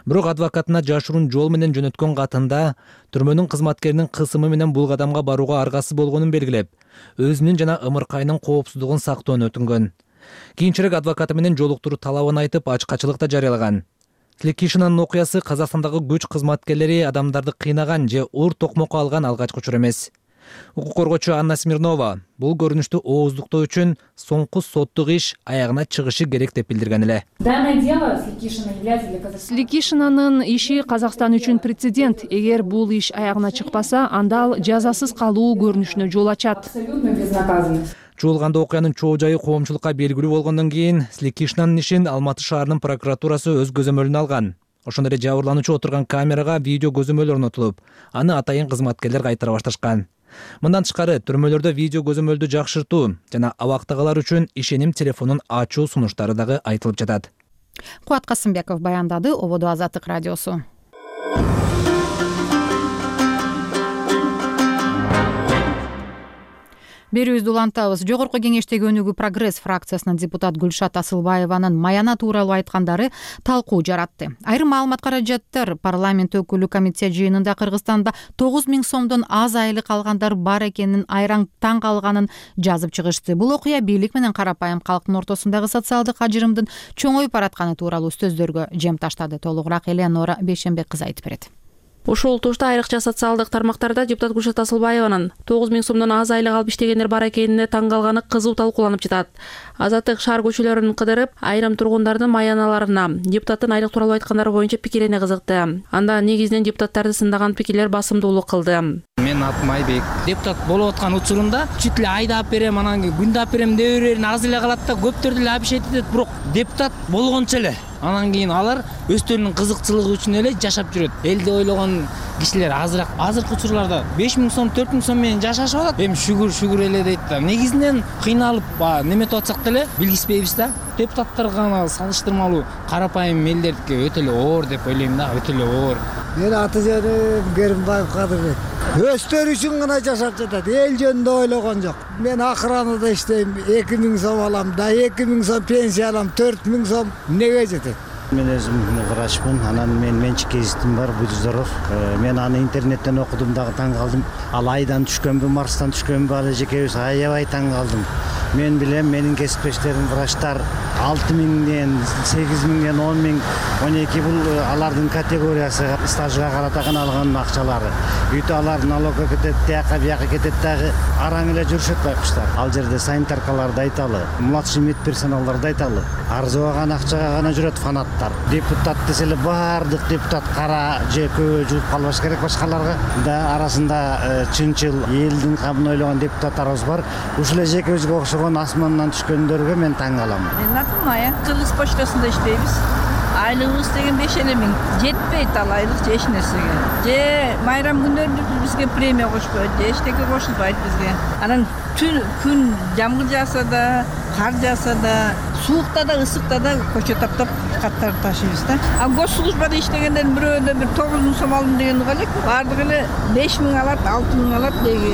Speaker 4: Бирок адвокатына жашыруун жол менен жөнөткөн катында түрмөнүн кызматкеринин кысымы менен бул кадамга барууга аргасыз болгонун белгилеп, өзүнүн жана ымыркайынын коопсуздугун сактоону өтүнгөн. Кийинчерээк адвокаты менен жолуктуруу талабын айтып, ачкачылык да жарыялаган. Слекишинанын окуясы Казакстандагы күч кызматкерлери адамдарды кыйнаган же уур токмокко алган алгачкы учур эмес. Укук коргоочу Анна Смирнова бул көрүнүштү ооздуктоо үчүн соңку соттук иш аягына чыгышы керек деп билдирген эле.
Speaker 1: Слекишинанын иши Казакстан үчүн прецедент. Эгер бул иш аягына чыкпаса, анда ал жазасыз калуу көрүнүшүнө жол ачат.
Speaker 4: Чуулганда окуянын чоо жайы коомчулукка белгилүү болгондон кийин Слекишинанын ишин Алматы шаарынын прокуратурасы өз көзөмөлүнө алган. Ошондой эле жабырлануучу отурган камерага видео көзөмөл орнотулуп, аны атайын кызматкерлер кайтара башташкан. Мындан тышкары түрмөлөрдө видео көзөмөлдү жакшыртуу жана абактагылар үчүн ишеним телефонун ачуу сунуштары дагы айтылып жатат.
Speaker 1: Кубат Касымбеков баяндады. Ободо Азаттык радиосу. Берүүбүздү улантабыз. Жогорку кеңештеги Өнүгүү Прогресс фракциясынын депутат Гүлшат Асылбаеванын Маяна тууралуу айткандары талкуу жаратты. Айрым маалымат каражаттар парламент өкүлү комиссия жыйынында Кыргызстанда 9 000 сомдон аз айлык алгандар бар экенин айраң таң калганын жазып чыгышты. Бул окуя бийлик менен карапайым калктын ортосундагы социалдык ажырымдын чоңоюп баратканы тууралуу сөздөргө жем таштады. Толугураак Элеонора Бейшенбек кызы айтып берет.
Speaker 21: Ушул тушта айрыкча социалдык тармактарда депутат Гүлшат Асылбаеванын 9 000 сомдон аз айлык алып иштегендер бар экенине таң калганы кызуу талкууланып жатат. Азаттык шаар көчөлөрүн кыдырып, айрым тургундардын маяналарына депутаттын айлык тууралуу айткандары боюнча пикирине кызыкты. Анда негизинен депутаттарды сындаган пикирлер басымдуулук кылды.
Speaker 22: Мен атым Айбек. Депутат болуп аткан учурунда чүт эле айдап берем, анан күндап берем деп берерин аз эле калат да, көптөрдү эле абишет этет. Бирок депутат болгончо эле анан кийин алар өздөрүнүн кызыкчылыгы үчүн эле жашап жүрөт. Элди ойлогон кишилер азыраак. Азыркы учурларда 5 000 сом, 4 000 сом менен жашашып атат. Эми шүгүр эле дейт да. Негизинен кыйналып неметип атсак деле билгиспейбиз да. Депутаттар гана салыштырмалуу карапайым элдердики өтө эле оор деп ойлойм да, өтө эле оор.
Speaker 23: Мен аты жөнүм Керимбаев Кадырбек. Өздөрү үчүн гана жашап жатат. Эл жөнүндө ойлогон жок. Мен охранада иштейм, 2 000 сом алам, да 2 000 сом пенсия алам, 4 000 сом эмнеге жетет?
Speaker 24: Мен өзүм врачмын, анан мен менчик кесиптим бар, Будузоров. Мен аны интернеттен окудум дагы таң калдым. Ал айдан түшкөнбү, Марстан түшкөнбү, ал жекебиз аябай таң калдым. Мен билем, менин кесиптештерим врачтар 6 000ден, 8 000ден, 10 000, 12 бул алардын категориясы, стажга карата гана алган акчалары. Үйтө алар налогко кетет, тияка бияка кетет дагы араң эле жүрүшөт байкуштар. Ал жерде санитаркаларды айталы, младший медперсоналдарды айталы. Арзыбаган акчага гана жүрөт фанаттар. Депутат десе эле баардык депутат кара же көбө жууп калбаш керек, башкаларга да арасында чынчыл элдин камын ойлогон депутаттарыбыз бар. Ушул эле жекебизге окшогон асмандан түшкөндөргө мен таң калам.
Speaker 3: Менин атым Мая. Кыргыз почтасында иштейбиз. Айлыгыбыз деген 5 000 жетпейт ал айлык же эч нерсеге. Же майрам күндөрүндө бизге премия кошпойт, же эчтеке кошулбайт бизге. Анан күн жамгыр жааса да, кар жааса да, суукта да, ысыкта да көчө таптап каттарды ташыйбыз да. А госслужбада иштегендер бирөөдө бир 9 000 сом алдым деген элек, бардыгы эле 5 000 алат, 6 000 алат деги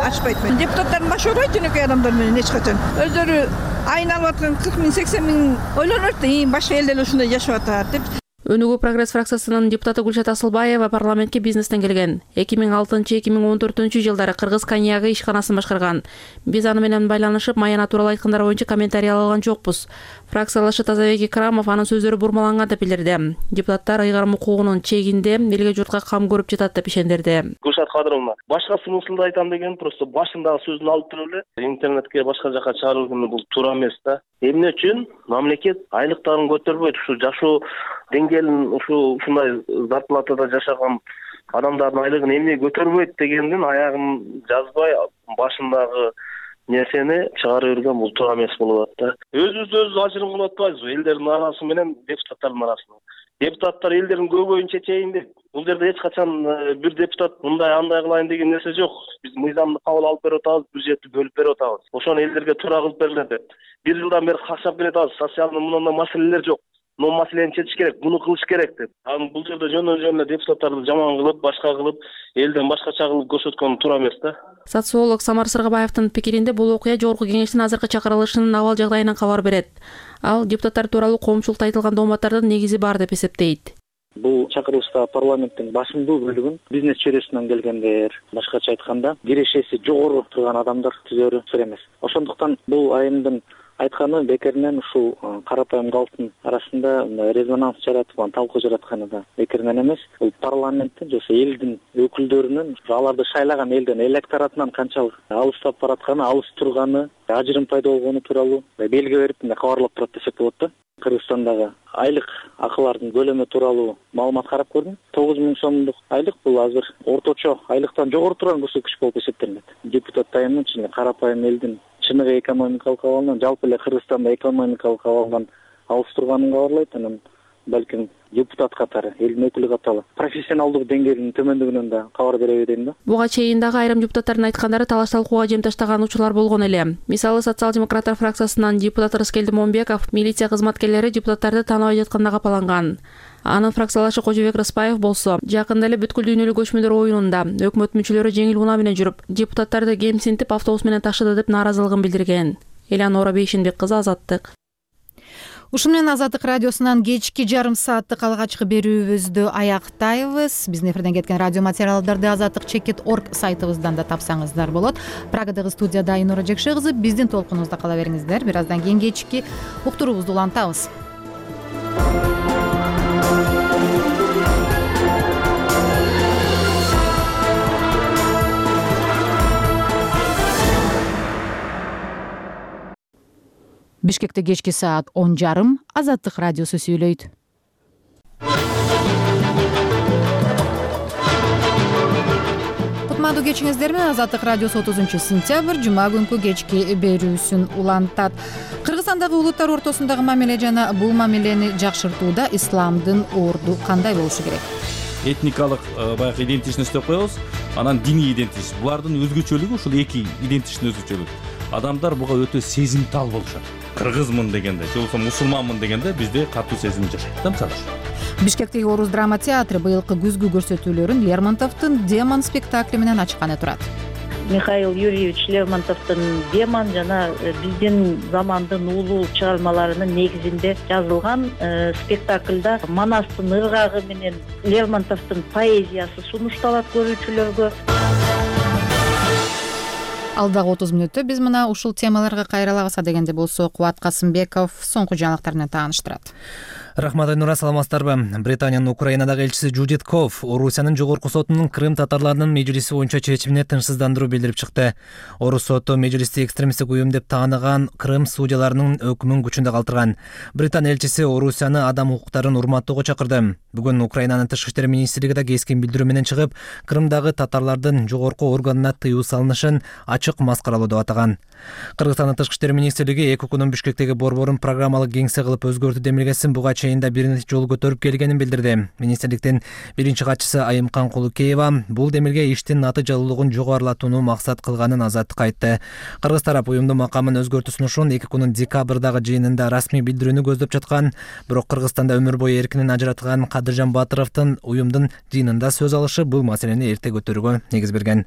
Speaker 3: ачпайт. Депутаттардын башы оорубайт жөнөкөй адамдар менен эч качан. Өздөрү айын алып аткан 40 000, 80 000 ойлонот да, башка элдер эле ушундай жашап атат деп.
Speaker 21: Өнүгүү Прогресс фракциясынын депутаты Гүлшат Асылбаева парламентке бизнестен келген. 2006-2014 жылдары Кыргыз коньягы ишканасын башкарган. Биз аны менен байланышып, Маяна тууралуу айткандар боюнча комментарий ала алган жокпуз. Фракциялашы Тазабек Икрамов анын сөздөрү бурмаланган деп билдирди. Депутаттар ыйгарым укугунун чегинде элге журтка кам көрүп жатат деп ишендирди.
Speaker 25: Гүлшат Кадыровна, башка смыслда айтам деген, просто башындагы сөзүн алып туруп эле интернетке башка жака чыгаруу бул туура эмес да. Эмне үчүн мамлекет айлыктарын көтөрбөйт, ушу жашоо деңгээлин ушундай зарплатада жашаган адамдардын айлыгын эмне көтөрбөйт дегендин аягын жазбай башындагы нерсени чыгарып берген бул туура эмес болуп атат да. Өзүбүздү ажырым кылып атпайбызбы элдердин арасы менен депутаттардын арасында? Депутаттар элдердин көбөйүн чечейин деп. Бул жерде эч качан бир депутат мындай андай кылайын деген нерсе жок. Биз мыйзамды кабыл алып берип атабыз, бюджетти бөлүп берип атабыз. Ошону элдерге туура кылып бергиле деп. 1 жылдан бери кашап келатабыз, социалдуу мындай маселелер жок. Но маселени чечиш керек, буну кылыш керек деп. Анан бул жерде жөн эле депутаттарды жаман кылып, башка кылып, элден башкача кылып көрсөткөн туура эмес да.
Speaker 21: Социолог Самар Сыргабаевдин пикиринде бул окуя жогорку кеңештин азыркы чакырылышынын абал жагдайынан кабар берет. Ал депутаттар тууралуу коомчулукта айтылган дооматтардын негизи бар деп эсептейт.
Speaker 26: Бул чакырылышта парламенттин басымдуу бөлүгүн бизнес чөйрөсүнөн келгендер, башкача айтканда кирешеси жогору турган адамдар түзөрү туура эмес. Ошондуктан бул айымдын айтканы бекеринен ушул карапайым калктын арасында резонанс жаратып, талкуу жаратканы да бекеринен эмес. Бул парламенттин же элдин өкүлдөрүнүн аларды шайлаган элден электоратынан канчалык алыстап баратканы, алыс турганы, ажырым пайда болгону тууралуу белги берип кабарлап турат десек болот да. Кыргызстандагы айлык акылардын көлөмү тууралуу маалымат карап көрдүм. 9 000 сомдук айлык бул азыр орточо айлыктан жогору турган көрсөткүч болуп эсептелинет. Депутат айымдын чыны карапайым элдин чыныгы экономикалык абалынан, жалпы эле Кыргызстанда экономикалык абалдан алыс турганын кабарлайт. Анан балким депутат катары, элдин өкүлү катары профессионалдык деңгээлинин төмөндүгүнөн да кабар береби дейм да.
Speaker 21: Буга чейин дагы айрым депутаттардын айткандары талаш талкууга жем таштаган учурлар болгон эле. Мисалы, социал-демократтар фракциясынан депутат Рыскелди Момбеков милиция кызматкерлери депутаттарды тааныбай жатканда капаланган. Анын фракциялашы Кожобек Рыспаев болсо жакында эле бүткүл дүйнөлүк көчмөндөр оюнунда өкмөт мүчөлөрү жеңил унаа менен жүрүп, депутаттарды кемсинтип автобус менен ташыды деп нааразылыгын билдирген. Элеонора Бейшенбек кызы, Азаттык.
Speaker 1: Ушун менен Азаттык радиосунан кечки жарым сааттык алгачкы берүүбүздү аяктайбыз. Биздин эфирден кеткен радио материалдарды azattik.org сайтыбыздан да тапсаңыздар болот. Прагадагы студияда Айнура Жекше кызы, биздин толкунубузда кала бериңиздер. Бир аздан кийин кечки уктуруубузду улантабыз. Бишкекте кечки саат 10:30 Азаттык радиосу сүйлөйт. Кутмандуу кечиңиздер менен Азаттык радиосу 30-сентябрь жума күнкү кечки берүүсүн улантат. Кыргызстандагы улуттар ортосундагы мамиле жана бул мамилени жакшыртууда исламдын орду кандай болушу керек?
Speaker 2: Этникалык баягы идентичность деп коебуз, анан диний идентичность. Булардын өзгөчөлүгү ушул эки идентичность өзгөчөлүк. Адамдар буга өтө сезимтал болушат. Кыргызмын дегенде, же болбосо мусулманмын дегенде бизде катуу сезим жашайт да, мисалы.
Speaker 1: Бишкектеги Орус драма театры быйылкы күзгү көрсөтүүлөрүн Лермонтовдун «Демон» спектакли менен ачканы турат.
Speaker 5: Михаил Юрьевич Лермонтовдун «Демон» жана биздин замандын улуу чыгармаларынын негизинде жазылган спектаклда Манастын ыргагы менен Лермонтовдун поэзиясы сунушталат көрүүчүлөргө.
Speaker 1: Алдагы 30 мүнөттө биз мына ушул темаларга кайрылабыз дегенде болсо Кубат Касымбеков соңку жаңылыктар менен тааныштырат.
Speaker 4: Рахмат, Айнура, саламатсыздарбы? Британиянын Украинадагы элчиси Джудит Ков Орусиянын жогорку сотунун Крым татарларынын межлиси боюнча чечимине тынчсыздандыруу билдирип чыкты. Орус соту межлисти экстремисттик уюм деп тааныган Крым судьяларынын өкүмүн күчүндө калтырган. Британ элчиси Орусияны адам укуктарын урматтоого чакырды. Бүгүн Украинанын тышкы иштер министрлиги да кескин билдирүү менен чыгып, Крымдагы татарлардын жогорку органына тыюу салынышын ачык маскаралоо деп атаган. Кыргызстандын тышкы иштер министрлиги эки укунун Бишкектеги борборун программалык кеңсе кылып өзгөртүү демилгесин буга чейин да бир нече жолу көтөрүп келгенин билдирди. Министрликтин биринчи катчысы Айымкан Кулукеева бул демилге иштин натыйжалуулугун жогорулатууну максат кылганын Азаттыкка айтты. Кыргыз тарап уюмдун макамын өзгөртүү сунушун эки күнүн декабрдагы жыйынында расмий билдирүүнү көздөп жаткан, бирок Кыргызстанда өмүр бою эркинен ажыраткан Кадыржан Батыровдун уюмдун жыйынында сөз алышы бул маселени эрте көтөрүүгө негиз берген.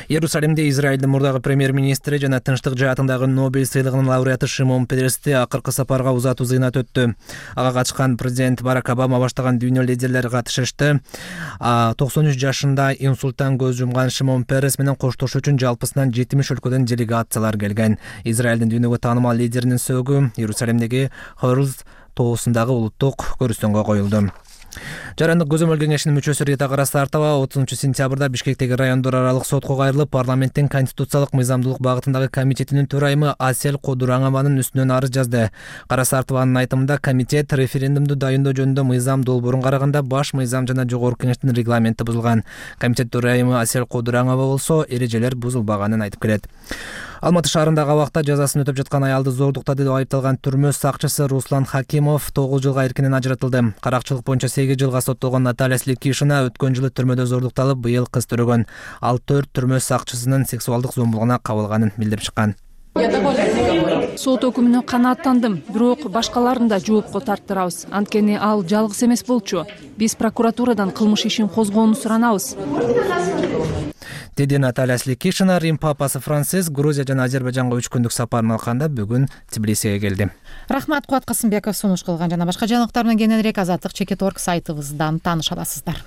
Speaker 4: Иерусалимде Израилдин мурдагы премьер-министри жана тынчтык жаатындагы Нобель сыйлыгынын лауреаты Шимон Перести акыркы сапарга узатуу зыйнат өттү. Ага катышкан президент Барак Обама баштаган дүйнө лидерлери катышышты. 93 жашында инсульттан көз жумган Шимон Перес менен коштошуу үчүн жалпысынан 70 өлкөдөн делегациялар келген. Израилдин дүйнөгө таанымал лидеринин сөөгү Иерусалимдеги Хорuz тоосундагы улуттук көрүстөнгө коюлду. Жарандык көзөмөл кеңешинин мүчөсү Рита Карасартова 30-сентябрда Бишкектеги райондор аралык сотко кайрылып, парламенттин конституциялык мыйзамдуулук багытындагы комитетинин төрайымы Асель Кодураңованын үстүнөн арыз жазды. Карасартованын айтымында комитет референдумду дайындоо жөнүндө мыйзам долбоорун караганда баш мыйзам жана жогорку кеңештин регламенти бузулган. Комитет төрайымы Асель Кодураңова болсо эрежелер бузулбаганын айтып келет. Алматы шаарындагы абакта жазасын өтөп жаткан аялды зордуктады деп айыпталган түрмө сакчысы Руслан Хакимов 9 жылга эркинен ажыратылды. Каракчылык боюнча 8 жылга соттолгон Наталья Сликишина өткөн жылы төрмөдө зордукталып, быйыл кыз төрөгөн. Ал 4 түрмө сакчысынын сексуалдык зомбулугуна кабылганын билдирип чыккан.
Speaker 6: Сот өкүмүнө канааттандым, бирок башкаларын да жоопко тарттырабыз. Анткени ал жалгыз эмес болчу. Биз прокуратурадан кылмыш ишин козгоону суранабыз.
Speaker 4: Деди Наталья Сликишина. Рим папасы Франциск Грузия жана Азербайжанга 3 күндүк сапарын алганда бүгүн Тбилисиге келди.
Speaker 1: Рахмат, Кубат Касымбеков сунуш кылган жана башка жаңылыктар менен кененирээк azattik.org сайтыбыздан тааныша аласыздар.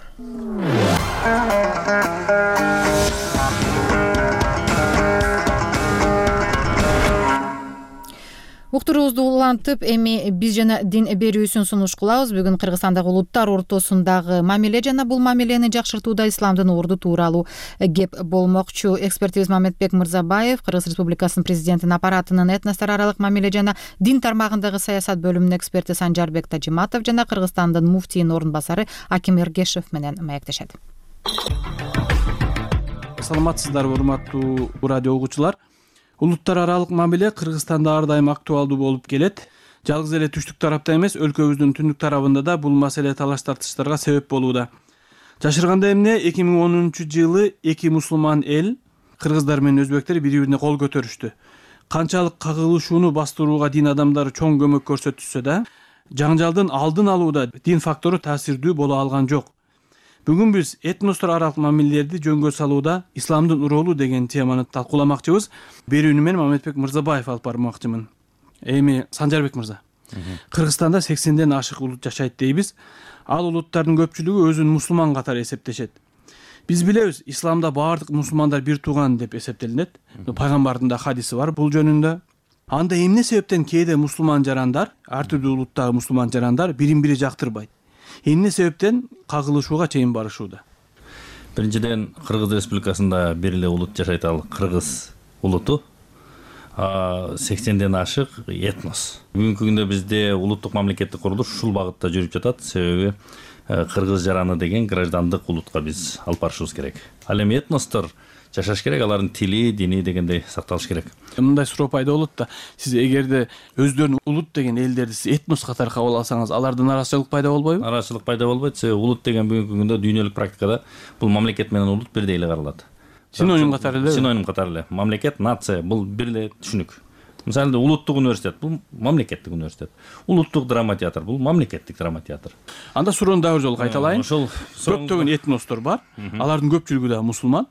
Speaker 1: Уктуруубузду улантып, эми биз жана дин берүүсүн сунуш кылабыз. Бүгүн Кыргызстандагы улуттар ортосундагы мамиле жана бул мамилени жакшыртууда исламдын орду тууралуу кеп болмокчу. Экспертибиз Мамедбек Мырзабаев, Кыргыз Республикасынын президентинин аппаратынын этностор аралык мамиле жана дин тармагындагы саясат бөлүмүнүн эксперти Санжарбек Тажиматов жана Кыргызстандын муфтийинин орун басары Аким Эргешев менен маектешет.
Speaker 7: Саламатсыздарбы, урматтуу радио угуучулар. Улуттар аралык мамиле Кыргызстанда ар дайым актуалдуу болуп келет. Жалгыз эле түштүк тарапта эмес, өлкөбүздүн түндүк тарабында да бул маселе талаш тартыштарга себеп болууда. Жашырганда эмне 2010-жылы эки мусулман эл, кыргыздар менен өзбектер бири-бирине кол көтөрүштү. Канчалык кагылышууну бастырууга дин адамдары чоң көмөк көрсөтүшсө да, жаңжалдын алдын алууда дин фактору таасирдүү боло алган жок. Бүгүн биз этностор аралык мамилелерди жөнгө салууда исламдын ролу деген теманы талкууламакчыбыз. Берүүнү мен Мамедбек Мырзабаев алып бармакчымын. Эми Санжарбек мырза, Кыргызстанда 80ден ашык улут жашайт дейбиз. Ал улуттардын көпчүлүгү өзүн мусулман катары эсептешет. Биз билебиз, исламда баардык мусулмандар бир тууган деп эсептелинет. Пайгамбардын да хадиси бар бул жөнүндө. Анда эмне себептен кээде мусулман жарандар, ар түрдүү улуттагы мусулман жарандар бирин-бири жактырбайт? Эмне себептен кагылышууга чейин барышууда?
Speaker 2: Биринчиден, Кыргыз Республикасында бир эле улут жашайт, ал кыргыз улуту. 80ден ашык этнос. Бүгүнкү күндө бизде улуттук мамлекеттик курулуш ушул багытта жүрүп жатат. Себеби кыргыз жараны деген граждандык улутка биз алып барышыбыз керек. Ал эми этностор жашаш керек, алардын тили, дини дегендей сакталыш керек.
Speaker 7: Мындай суроо пайда болот да, сиз эгерде өздөрүн улут деген элдерди сиз этнос катары кабыл алсаңыз, аларда нараазычылык пайда болбойбу?
Speaker 2: Нараазычылык пайда болбойт. Себеби улут деген бүгүнкү күндө дүйнөлүк практикада бул мамлекет менен улут бирдей эле каралат.
Speaker 7: Синоним катары эле?
Speaker 2: Синоним катары эле. Мамлекет, нация бул бир эле түшүнүк. Мисалы улуттук университет бул мамлекеттик университет. Улуттук драма театр бул мамлекеттик драма театр.
Speaker 7: Анда суроону дагы бир жолу кайталайын.
Speaker 2: Ошол
Speaker 7: көптөгөн этностор бар. Алардын көпчүлүгү да мусулман.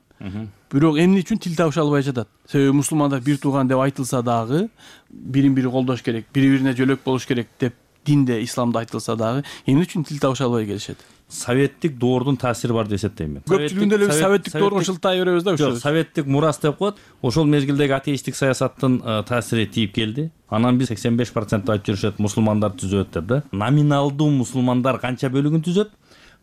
Speaker 7: Бирок эмне үчүн тил табыша албай жатат? Себеби мусулмандар бир тууган деп айтылса дагы, бирин-бири колдош керек, бири-бирине жөлөк болуш керек деп динде, исламда айтылса дагы, эмне үчүн тил табыша албай келишет?
Speaker 2: Советтик доордун таасири бар деп эсептейм мен.
Speaker 7: Көпчүлүгүндө эле советтик доорго шылтай беребиз да ушул.
Speaker 2: Жок, советтик мурас деп коет. Ошол мезгилдеги атеисттик саясаттын таасири тийип келди. Анан биз 85% айтып жүрүшөт, мусулмандар түзөт деп да. Номиналдуу мусулмандар канча бөлүгүн түзөт?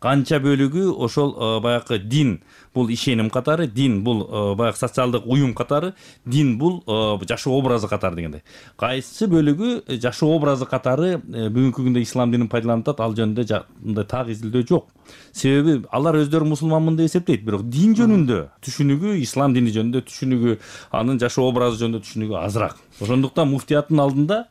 Speaker 2: Канча бөлүгү ошол баягы дин бул ишеним катары, дин бул баягы социалдык уюм катары, дин бул жашоо образы катары дегендей. Кайсы бөлүгү жашоо образы катары бүгүнкү күндө ислам динин пайдаланып атат, ал жөнүндө мындай так изилдөө жок. Себеби алар өздөрү мусулманмын деп эсептейт, бирок дин жөнүндө түшүнүгү, ислам дини жөнүндө түшүнүгү, анын жашоо образы жөнүндө түшүнүгү азыраак. Ошондуктан муфтияттын алдында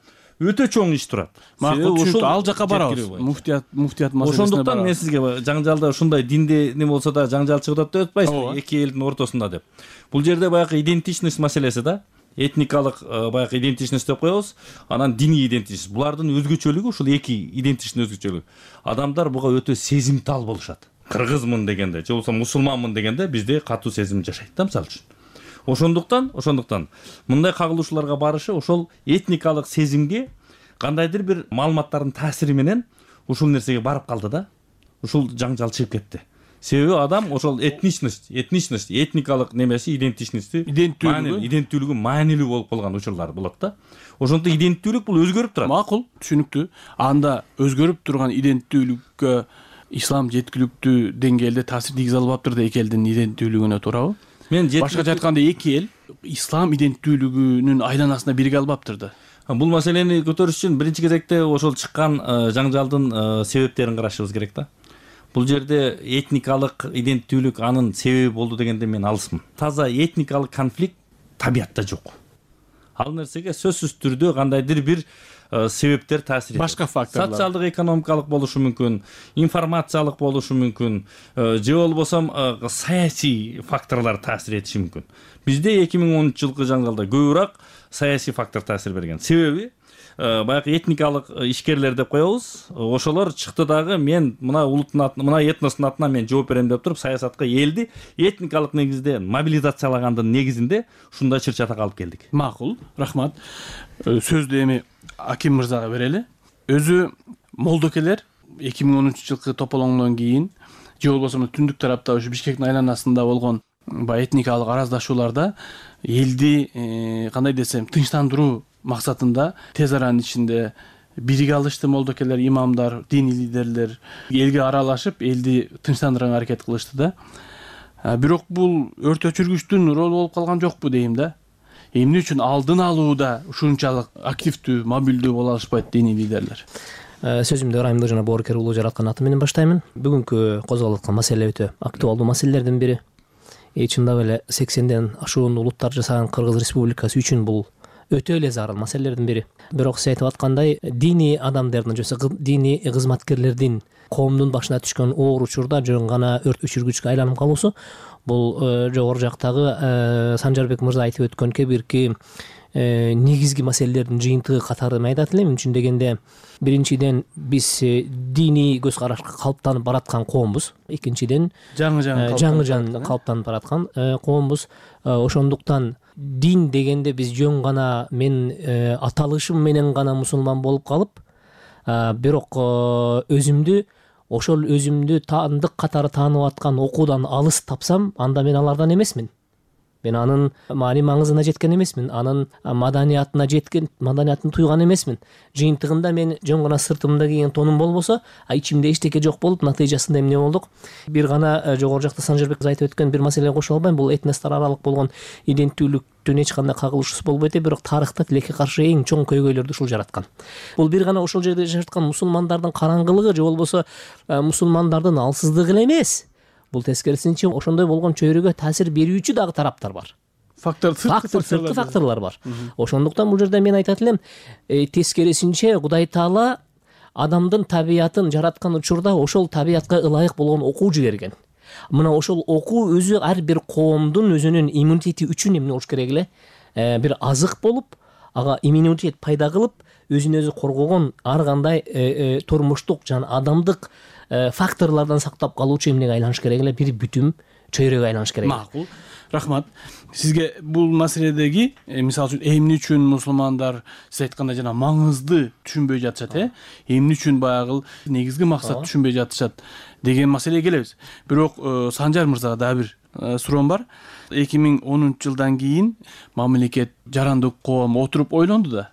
Speaker 2: өтө чоң иш турат.
Speaker 7: Макул, ушул ал жака барабыз. Муфтият маселесине барабыз.
Speaker 2: Ошондуктан мен сизге жаңжалда ушундай динде эме болсо да жаңжал чыгып атат деп атпайсызбы? Эки элдин ортосунда деп. Бул жерде баягы идентичность маселеси да. Этникалык баягы идентичность деп коебуз, анан диний идентичность. Булардын өзгөчөлүгү ушул эки идентичность өзгөчөлүгү. Адамдар буга өтө сезимтал болушат. Кыргызмын дегенде, же болбосо мусулманмын дегенде бизде катуу сезим жашайт да, мисалы үчүн. Ошондуктан мындай кагылышууларга барышы ошол этникалык сезимге кандайдыр бир маалыматтардын таасири менен ушул нерсеге барып калды да. Ушул жаңжал чыгып кетти. Себеби адам ошол этникалык немеси, иденттүүлүгү маанилүү болуп калган учурлар болот да. Ошондуктан иденттүүлүк бул өзгөрүп турат.
Speaker 7: Макул, түшүнүктүү. Анда өзгөрүп турган иденттүүлүккө ислам жеткиликтүү деңгээлде таасир тийгизе албаптыр да эки элдин иденттүүлүгүнө, туурабы? Башкача айтканда эки эл ислам иденттүүлүгүнүн айланасына бирге албаптыр да.
Speaker 2: Бул маселени көтөрүш үчүн биринчи кезекте ошол чыккан жаңжалдын себептерин карашыбыз керек да. Бул жерде этникалык иденттүүлүк анын себеби болду дегенде мен алысмын. Таза этникалык конфликт табиятта жок. Ал нерсеге сөзсүз түрдө кандайдыр бир себептер таасир этет.
Speaker 7: Башка факторлор.
Speaker 2: Социалдык, экономикалык болушу мүмкүн, информациялык болушу мүмкүн, же болбосо саясий факторлор таасир этиши мүмкүн. Бизде 2010-жылкы жаңжалда көбүрөөк саясий фактор таасир берген. Себеби баягы этникалык ишкерлер деп коебуз. Ошолор чыкты дагы мен мына улуттун атынан, мына этностун атынан мен жооп берем деп туруп саясатка элди этникалык негизде мобилизациялагандын негизинде ушундай чыр-чатак алып келдик.
Speaker 7: Макул, рахмат. Сөздү эми Аким мырзага берели. Өзү молдокелер 2013-жылкы тополоңдон кийин же болбосо түндүк тарапта ушу Бишкектин айланасында болгон этникалык араздашууларда элди кандай десем тынчтандыруу максатында тез аранын ичинде бирге алышты молдокелер, имамдар, диний лидерлер элге аралашып, элди тынчтандырганга аракет кылышты да. Бирок бул өрт өчүргүчтүн ролу болуп калган жокпу дейм да. Эмне үчүн алдын алууда ушунчалык активдүү, мобилдүү боло алышпайт диний лидерлер?
Speaker 8: Сөзүмдү ырайымдуу жана боорукер улуу жараткан аты менен баштаймын. Бүгүнкү козголуп аткан маселе өтө актуалдуу маселелердин бири. Чындап эле 80ден ашуун улуттар жасаган Кыргыз Республикасы үчүн бул өтө эле зарыл маселелердин бири. Бирок сиз айтып аткандай диний адамдардын же диний кызматкерлердин коомдун башына түшкөн оор учурда жөн гана өрт өчүргүчкө айланып калуусу бул жогору жактагы Санжарбек мырза айтып өткөн кээ бирки негизги маселелердин жыйынтыгы катары мен айтат элем. Үчүн дегенде биринчиден биз диний көз карашка калыптанып бараткан коомбуз. Экинчиден жаңы калыптанып бараткан коомбуз. Ошондуктан дин дегенде биз жөн гана мен аталышым менен гана мусулман болуп калып, бирок өзүмдү таандык катары таанып аткан окуудан алыс тапсам, анда мен алардан эмесмин. Мен анын маани маңызына жеткен эмесмин, анын маданиятын туйган эмесмин. Жыйынтыгында мен жөн гана сыртымда кийген тонум болбосо, ичимде эчтеке жок болуп, натыйжасында эмне болдук? Бир гана жогору жакта Санжарбек айтып өткөн бир маселеге кошо албайм. Бул этностор аралык болгон иденттүүлүктүн эч кандай кагылышуусу болбойт, бирок тарыхта тилекке каршы эң чоң көйгөйлөрдү ушул жараткан. Бул бир гана ошол жерде жашаткан мусулмандардын караңгылыгы же болбосо мусулмандардын алсыздыгы эле эмес. Бул тескерисинче ошондой болгон чөйрөгө таасир берүүчү дагы тараптар бар. Сырткы факторлор бар. Ошондуктан бул жерде мен айтат элем, тескерисинче Кудай Таала адамдын табиятын жараткан учурда ошол табиятка ылайык болгон окуу жиберген. Мына ошол окуу өзү ар бир коомдун өзүнүн иммунитети үчүн эмне болуш керек эле? Бир азык болуп, ага иммунитет пайда кылып, өзүн өзү коргогон ар кандай турмуштук жана адамдык факторлордон сактап калуучу эмнеге айланыш керек эле? Бир бүтүм чөйрөгө айланыш керек.
Speaker 7: Макул. Рахмат. Сизге бул маселедеги мисалы үчүн эмне үчүн мусулмандар сиз айткандай жана маңызды түшүнбөй жатышат, эмне үчүн баягы негизги максат түшүнбөй жатышат деген маселеге келебиз. Бирок Санжар мырзага дагы бир суроом бар. 2010-жылдан кийин мамлекет жарандык коом отуруп ойлонду да.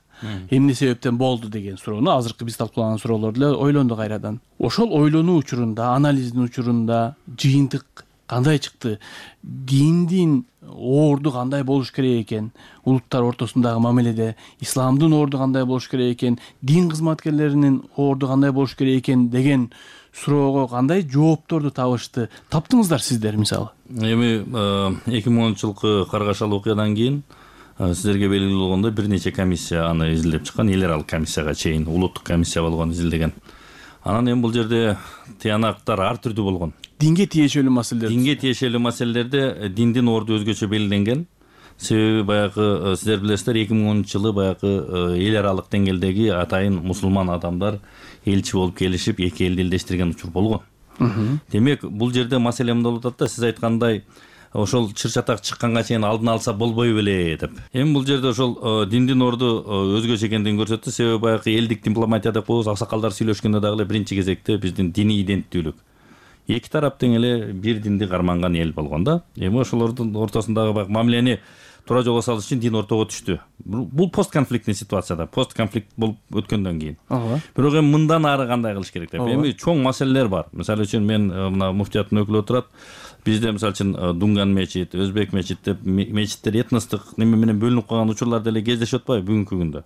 Speaker 7: Эмне себептен болду деген суроону азыркы биз талкуулаган суроолорду эле ойлонду кайрадан. Ошол ойлонуу учурунда, анализдин учурунда жыйынтык кандай чыкты? Диндин орду кандай болуш керек экен? Улуттар ортосундагы мамиледе исламдын орду кандай болуш керек экен? Дин кызматкерлеринин орду кандай болуш керек экен деген суроого кандай жоопторду таптыңыздар сиздер мисалы?
Speaker 2: Эми 2010-жылкы каргашалы окуядан кийин сиздерге белгилүү болгондой бир нече комиссия аны изилдеп чыккан, эл аралык комиссияга чейин улуттук комиссия болгон изилдеген. Анан эми бул жерде тыянактар ар түрдүү болгон.
Speaker 7: Динге тиешелүү
Speaker 2: маселелерде диндин орду өзгөчө белгиленген. Себеби баягы сиздер билесиздер 2010-жылы баягы эл аралык деңгээлдеги атайын мусулман адамдар элчи болуп келишип эки элди элдештирген учур болгон. Демек бул жерде маселе мындай болуп атат да, сиз айткандай ошол чыр-чатак чыкканга чейин алдын алса болбой беле деп. Эми бул жерде ошол диндин орду өзгөчө экендигин көрсөттү. Себеби баягы элдик дипломатия деп коебуз, аксакалдар сүйлөшкөндө дагы эле биринчи кезекте биздин диний иденттүүлүк. Эки тарап тең эле бир динди карманган эл болгон да. Эми ошолордун ортосундагы баягы мамилени туура жолго салыш үчүн дин ортого түштү. Бул постконфликтный ситуацияда, постконфликт болуп өткөндөн кийин. Бирок эми мындан ары кандай кылыш керек деп. Эми чоң маселелер бар. Мисалы үчүн мен мына муфтияттын өкүлү отурат. Бизде мисалы үчүн Дунган мечит, Өзбек мечит деп мечиттер этностук неме менен бөлүнүп калган учурлар деле кездешип атпайбы бүгүнкү күндө.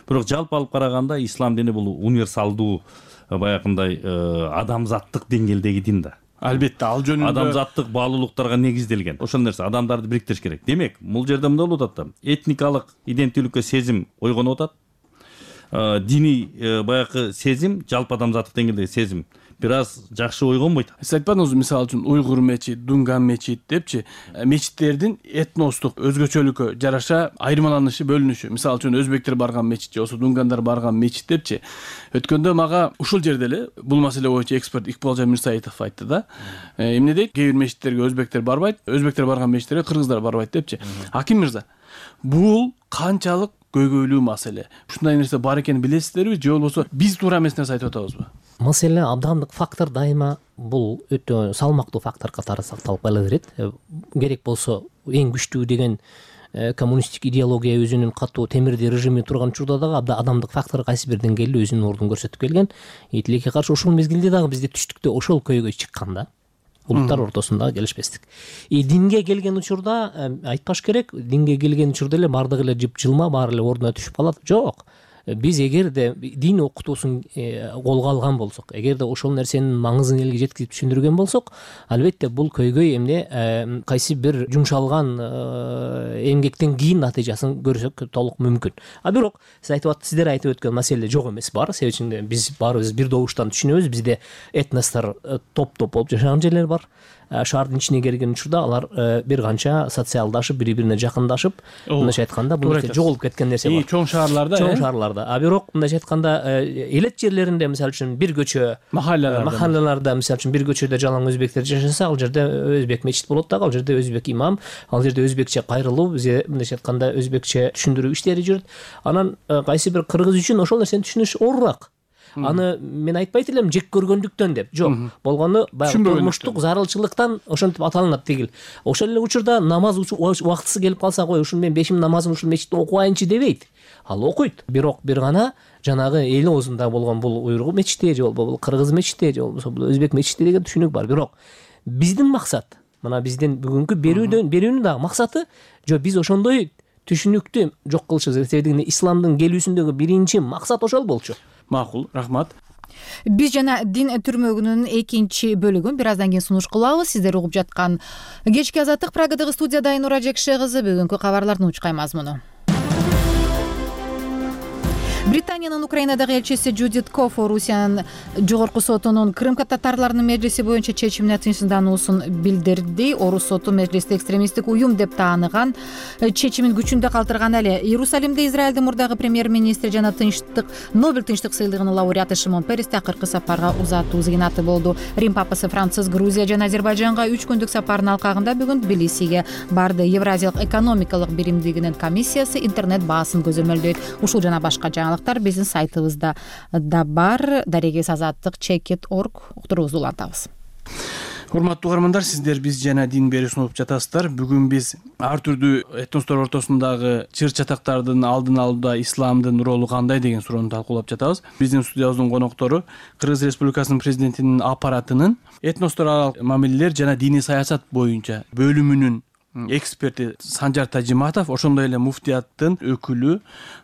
Speaker 2: Бирок жалпы алып караганда ислам дини бул универсалдуу баягындай адамзаттык деңгээлдеги дин да.
Speaker 7: Албетте, ал жөнүндө
Speaker 2: адамзаттык баалуулуктарга негизделген. Ошол нерсе адамдарды бириктириш керек. Демек, бул жерде мындай болуп атат да. Этникалык иденттүүлүккө сезим ойгонуп атат. Диний баягы сезим, жалпы адамзаттык деңгээлдеги сезим бир аз жакшы ойгонбойт.
Speaker 7: Сиз айтпадыңызбы, мисалы үчүн Уйгур мечит, Дунган мечит депчи, мечиттердин этностук өзгөчөлүккө жараша айырмаланышы, бөлүнүшү. Мисалы үчүн өзбектер барган мечит же болбосо дунгандар барган мечит депчи. Өткөндө мага ушул жерде эле бул маселе боюнча эксперт Икбалжан Мирсаитов айтты да. Эмне дейт? Кээ бир мечиттерге өзбектер барбайт, өзбектер барган мечиттерге кыргыздар барбайт депчи. Аким мырза, бул канчалык көйгөйлүү маселе? Ушундай нерсе бар экенин билесиздерби же болбосо биз туура эмес нерсе айтып атабызбы?
Speaker 8: Маселе адамдык фактор дайыма бул өтө салмактуу фактор катары сакталып кала берет. Керек болсо эң күчтүү деген коммунисттик идеология өзүнүн катуу темирди режими турган учурда дагы адамдык фактор кайсы бир деңгээлде өзүнүн ордун көрсөтүп келген. Тилекке каршы ушул мезгилде дагы бизде түштүктө ошол көйгөй чыккан да. Улуттар ортосундагы келишпестик. Динге келген учурда айтпаш керек, динге келген учурда эле бардыгы эле жып жылма, баары эле ордуна түшүп калат. Жок. биз эгерде дин окутуусун колго алган болсок, эгерде ошол нерсенин маңызын элге жеткирип түшүндүргөн болсок, албетте бул көйгөй эмне кайсы бир жумшалган эмгектен кийин натыйжасын көрсөк толук мүмкүн. А бирок сиздер айтып өткөн маселе жок эмес, бар. Себеби үчүн биз баарыбыз бир добуштан түшүнөбүз. Бизде этностор топ болуп жашаган жерлер бар. Шаардын ичине келген учурда алар бир канча социалдашып, бири-бирине жакындашып, мындайча айтканда бул жоголуп кеткен нерсе бар.
Speaker 7: Чоң шаарларда.
Speaker 8: А бирок мындайча айтканда элет жерлеринде, мисалы үчүн бир көчө, махаллаларда мисалы үчүн бир көчөдө жалаң өзбектер жашаса, ал жерде өзбек мечит болот дагы, ал жерде өзбек имам, ал жерде өзбекче кайрылуу, бизге мындайча айтканда өзбекче түшүндүрүү иштери жүрөт. Анан кайсы бир кыргыз үчүн ошол нерсени түшүнүш оорураак. Аны мен айтпайт элем жек көргөндүктөн деп. Жок, болгону баягы турмуштук зарылчылыктан ошентип аталынат дегил. Ошол эле учурда намаз убактысы келип калса, кой, ушун мен 5 намазым ушул мечитте окуайынчы дебейт. Ал окуйт. Бирок бир гана жанагы эл оозунда болгон бул уйгур мечити же болбосо бул кыргыз мечити же болбосо бул өзбек мечити деген түшүнүк бар. Бирок биздин максат, мына биздин бүгүнкү берүүнүн дагы максаты, жо биз ошондой түшүнүктү жок кылышыбыз. Себеби исламдын келүүсүндөгү биринчи максат ошол болчу.
Speaker 7: Макул, рахмат.
Speaker 1: Биз жана дин түрмөгүнүн экинчи бөлүгүн бир аздан кийин сунуш кылабыз. Сиздер угуп жаткан кечки азаттык программадагы студияда Айнура Жекше кызы. Бүгүнкү кабарлардын учкай мазмуну. Британиянын Украинадагы элчиси Джудит Коф Орусиянын жогорку сотунун Крым татарларынын межлиси боюнча чечимине тынчсыздануусун билдирди. Орус соту межлисти экстремисттик уюм деп тааныган чечимин күчүндө калтырган эле. Иерусалимде Израилдин мурдагы премьер-министри жана Нобель тынчтык сыйлыгынын лауреаты Шимон Перес акыркы сапарга узатуу зыйнаты болду. Рим папасы Франциск Грузия жана Азербайжанга 3 күндүк сапарынын алкагында бүгүн Тбилисиге барды. Евразиялык экономикалык биримдигинин комиссиясы интернет баасын көзөмөлдөйт. Ушул жана башка биздин сайтыбызда да бар. Дарегес азаттык chekit.org уктуруубузду улантабыз.
Speaker 7: Урматтуу угармандар, сиздер биз жана дин берүүсүн угуп жатасыздар. Бүгүн биз ар түрдүү этностор ортосундагы чыр чатактардын алдын алууда исламдын ролу кандай деген суроону талкуулап жатабыз. Биздин студиябыздын коноктору Кыргыз Республикасынын президентинин аппаратынын этностор аралык мамилелер жана диний саясат боюнча бөлүмүнүн эксперти Санжар Тажиматов, ошондой эле муфтияттын өкүлү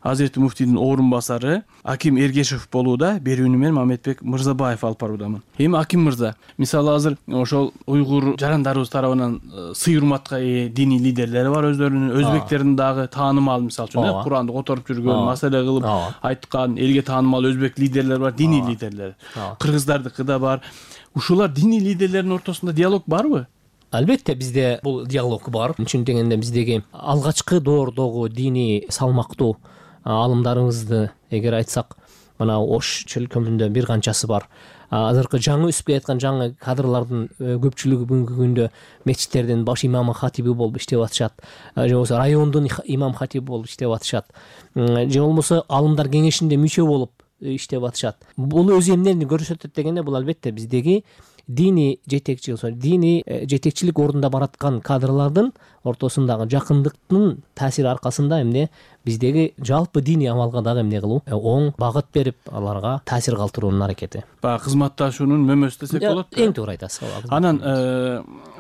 Speaker 7: Азирети муфтийдин орун басары Аким Эргешев болууда. Берүүнү мен Мамедбек Мырзабаев алып баруудамын. Эми Аким мырза, мисалы азыр ошол уйгур жарандарыбыз тарабынан сый урматка ээ диний лидерлери бар өздөрүнүн, өзбектердин дагы таанымал, мисалы үчүн Куранды которуп жүргөн, маселе кылып айткан, элге таанымал өзбек лидерлери бар, диний лидерлер. Кыргыздардыкы да бар. Ушулар диний лидерлердин ортосунда диалог барбы?
Speaker 8: Албетте бизде бул диалог бар. Чын дегенде биздеги алгачкы доордогу диний салмактуу алымдарыбызды эгер айтсак, мына Ош чөлкөмүндө бир канчасы бар. Азыркы жаңы өсүп келаткан жаңы кадрлардын көпчүлүгү бүгүнкү күндө мечиттердин баш имамы хатиби болуп иштеп атышат. Же болбосо райондун имам хатиби болуп иштеп атышат. Же болбосо алымдар кеңешинде мүчө болуп иштеп атышат. Бул өз эмнени көрсөтөт дегенде, бул албетте биздеги диний жетекчилик ордунда бараткан кадрлардын ортосундагы жакындыктын таасири аркасында эмне биздеги жалпы диний амалга дагы эмне кылуу, оң багыт берип аларга таасир калтыруунун аракети.
Speaker 7: Баягы кызматташуунун мөмөсү десек болот.
Speaker 8: Эң туура айтасыз.
Speaker 7: Анан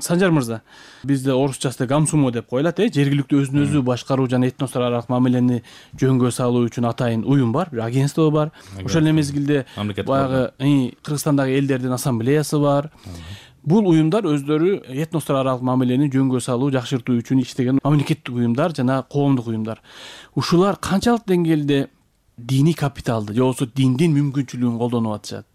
Speaker 7: Санжар мырза, бизде орусчасы гамсумо деп коюлат, жергиликтүү өзүн өзү башкаруу жана этностор аралык мамилени жөнгө салуу үчүн атайын уюм бар, бир агентство бар. Ошол эле мезгилде баягы Кыргызстандагы элдердин ассамблеясы бар. Бул уюмдар өздөрү этностор аралык мамилени жөнгө салуу, жакшыртуу үчүн иштеген мамлекеттик уюмдар жана коомдук уюмдар. Ушулар канчалык деңгээлде диний капиталды же болбосо диндин мүмкүнчүлүгүн колдонуп атышат?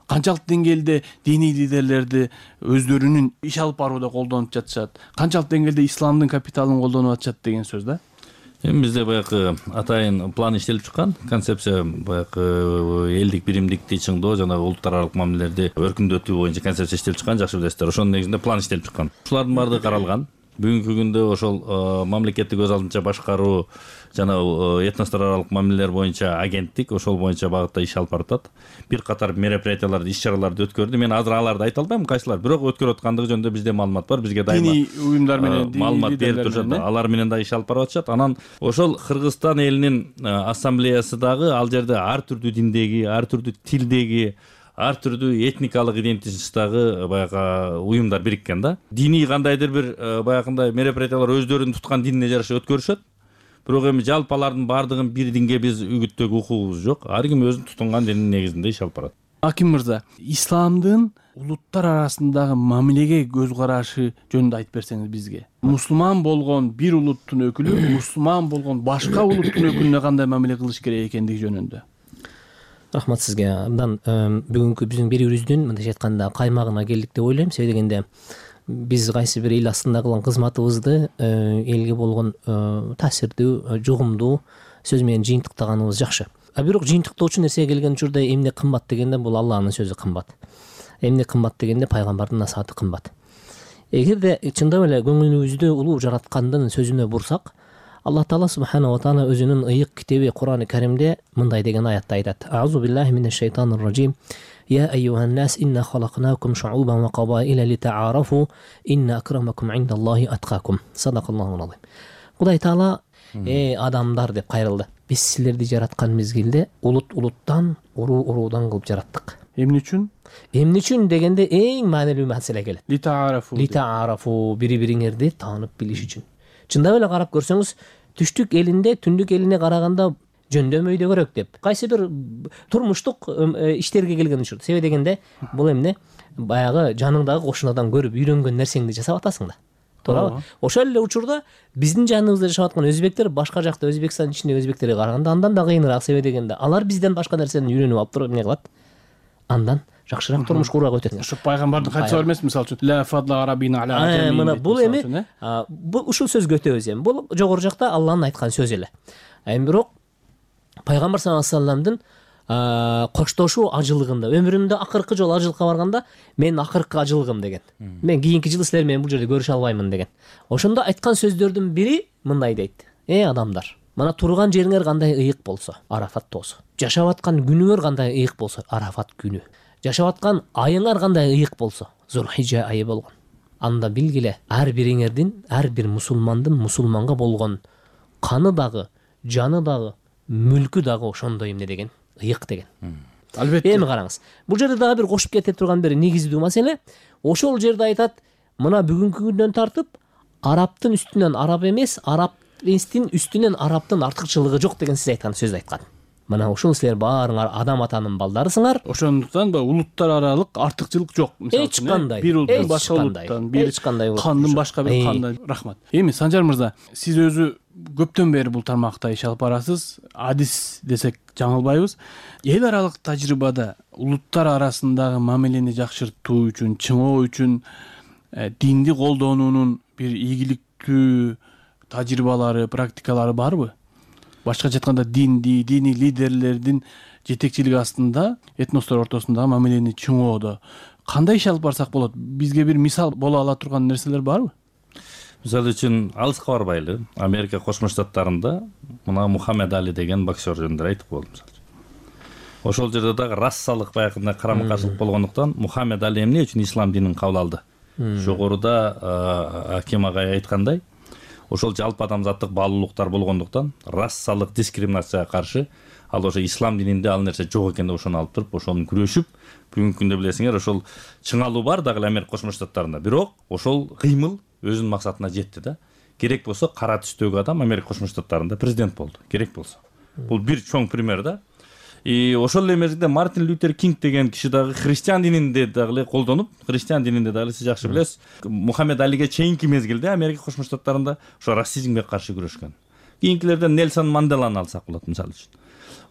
Speaker 7: Канчалык деңгээлде диний лидерлерди өздөрүнүн иш алып барууда колдонуп жатышат? Канчалык деңгээлде исламдын капиталын колдонуп атышат деген сөз да?
Speaker 2: Эми бизде баягы атайын план иштелип чыккан, концепция баягы элдик биримдикти чыңдоо жана улуттар аралык мамилелерди өркүндөтүү боюнча концепция иштелип чыккан, жакшы билесиздер. Ошонун негизинде план иштелип чыккан. Ушулардын баардыгы каралган. Бүгүнкү күндө ошол мамлекеттик өз алдынча башкаруу жана этностор аралык мамилелер боюнча агенттик ошол боюнча багытта иш алып баратат. Бир катар мероприятияларды, иш-чараларды өткөрдү. Мен азыр аларды айта албайм кайсылар, бирок өткөрүп аткандыгы жөнүндө бизде маалымат бар. Бизге дайыма
Speaker 7: диний уюмдар менен
Speaker 2: маалымат берип турушат. Алар менен да иш алып барып атышат. Анан ошол Кыргызстан элинин ассамблеясы дагы ал жерде ар түрдүү диндеги, ар түрдүү тилдеги, ар түрдүү этникалык идентичностьтагы баягы уюмдар бириккен да. Диний кандайдыр бир баягындай мероприятиялар өздөрүнүн туткан динине жараша өткөрүшөт. бирок эми жалпы алардын баардыгын бир динге биз үгүттөөгө укугубуз жок. Ар ким өзүнүн тутунган дининин негизинде иш алып барат.
Speaker 7: Аким мырза, исламдын улуттар арасындагы мамилеге көз карашы жөнүндө айтып берсеңиз бизге. Мусулман болгон бир улуттун өкүлү мусулман болгон башка улуттун өкүлүнө кандай мамиле кылыш керек экендиги жөнүндө.
Speaker 8: Рахмат сизге. Мындан бүгүнкү биздин берүүбүздүн мындайча айтканда каймагына келдик деп ойлойм. Себеби дегенде биз кайсы бир эл астында кылган кызматыбызды элге болгон таасирдүү, жугумдуу сөз менен жыйынтыктаганыбыз жакшы. А бирок жыйынтыктоочу нерсеге келген учурда эмне кымбат дегенде бул Алланын сөзү кымбат. Эмне кымбат дегенде пайгамбардын насааты кымбат. Эгерде чындап эле көңүлүбүздү улуу жараткандын сөзүнө бурсак, Аллах Таала субхана ва таала өзүнүн ыйык китеби Кур'ани Каримде мындай деген аятта айтат: "Аузу биллахи минеш шайтанир ражим. Я айюхан нас инна халакнакум шу'убан ва кабаила литаарафу инна акрамакум индаллахи аткакум." Садакаллахул азим. Кудай Таала адамдар деп кайрылды. Биз силерди жараткан мезгилде улуттан, уруудан кылып жараттык.
Speaker 7: Эмне үчүн?
Speaker 8: Эмне үчүн дегенде эң маанилүү маселе келет.
Speaker 7: Литаарафу
Speaker 8: бири-бириңерди таанып билиш үчүн. Чындап эле карап көрсөңүз, түштүк элинде түндүк элине караганда жөндөмөйдөгөрөөк деп. Кайсы бир турмуштук иштерге келген учурда. Себеби дегенде бул эмне? Баягы жаныңдагы кошунадан көрүп үйрөнгөн нерсеңди жасап атасың да. Туурабы? Ошол эле учурда биздин жаныбызда жашап аткан өзбектер башка жакта Өзбекстан ичиндеги өзбектерге караганда андан да кыйыныраак. Себеби дегенде алар бизден башка нерсени үйрөнүп алып туруп эмне кылат? Андан жакшыраак турмуш курууга өтөт.
Speaker 7: Ошо пайгамбардын хадиси бар эмес, мисалы үчүн ла фадла арабина аля ажами.
Speaker 8: Мына бул эми бул ушул сөзгө өтөбүз эми. Бул жогору жакта Алланын айткан сөзү эле. Эми бирок пайгамбар саллаллаху алейхи вассаламдын коштошуу ажылыгында, өмүрүмдө акыркы жолу ажылыкка барганда, мен акыркы ажылыгым деген. Мен кийинки жылы силер менен бул жерде көрүшө албаймын деген. Ошондо айткан сөздөрдүн бири мындай дейт: адамдар, мына турган жериңер кандай ыйык болсо, Арафат тоосу. Жашап аткан күнүңөр кандай ыйык болсо, Арафат күнү. Жашап аткан айыңар кандай ыйык болсо, Зулхижа айы болгон. Анда билгиле, ар бириңердин, ар бир мусулмандын мусулманга болгон каны дагы, жаны дагы, мүлкү дагы ошондой эмне деген, ыйык деген.
Speaker 7: Албетте.
Speaker 8: Эми караңыз. Бул жерде дагы бир кошуп кете турган бир негиздүү маселе, ошол жерде айтат, мына бүгүнкү күндөн тартып арабтын үстүнөн араб эмес, арабтын үстүнөн арабтын артыкчылыгы жок деген сиз айткан сөздү айткан. Мына ушул силер баарыңар адам атанын балдарысыңар.
Speaker 7: Ошондуктан улуттар аралык артыкчылык жок. Мисалы үчүн бир улуттан башка улуттан, бир кандын башка бир кандай. Рахмат. Эми Санжар мырза, сиз өзү көптөн бери бул тармакта иш алып барасыз. Адис десек жаңылбайбыз. Эл аралык тажрыйбада улуттар арасындагы мамилени жакшыртуу үчүн, чыңоо үчүн динди колдонуунун бир ийгиликтүү тажрыйбалары, практикалары барбы? Башкача айтканда диний лидерлердин жетекчилиги астында этностор ортосундагы мамилени чыңоодо кандай иш алып барсак болот? Бизге бир мисал боло ала турган нерселер барбы?
Speaker 2: Мисалы үчүн алыска барбайлы. Америка Кошмо Штаттарында мына Мухаммед Али деген боксер жөнүндө айтып болдум. Ошол жерде дагы рассалык баягындай карама-каршылык болгондуктан Мухаммед Али эмне үчүн ислам динин кабыл алды? Жогоруда Аким агай айткандай, ошол жалпы адамзаттык баалуулуктар болгондуктан рассалык дискриминацияга каршы ал ошо ислам дининде ал нерсе жок экен деп ошону алып туруп ошону күрөшүп, бүгүнкү күндө билесиңер ошол чыңалуу бар дагы Америка Кошмо Штаттарында. Бирок ошол кыймыл өзүнүн максатына жетти да. Керек болсо кара түстөгү адам Америка Кошмо Штаттарында президент болду. Керек болсо. Бул бир чоң пример да. Ошол эле мезгилде Мартин Лютер Кинг деген киши дагы христиан дининде дагы колдонуп, христиан дининде дагы сиз жакшы билесиз, Мухаммед Алиге чейинки мезгилде Америка Кошмо Штаттарында ошо расизмге каршы күрөшкөн. Кийинкилерден Нельсон Манделаны алсак болот мисалы үчүн.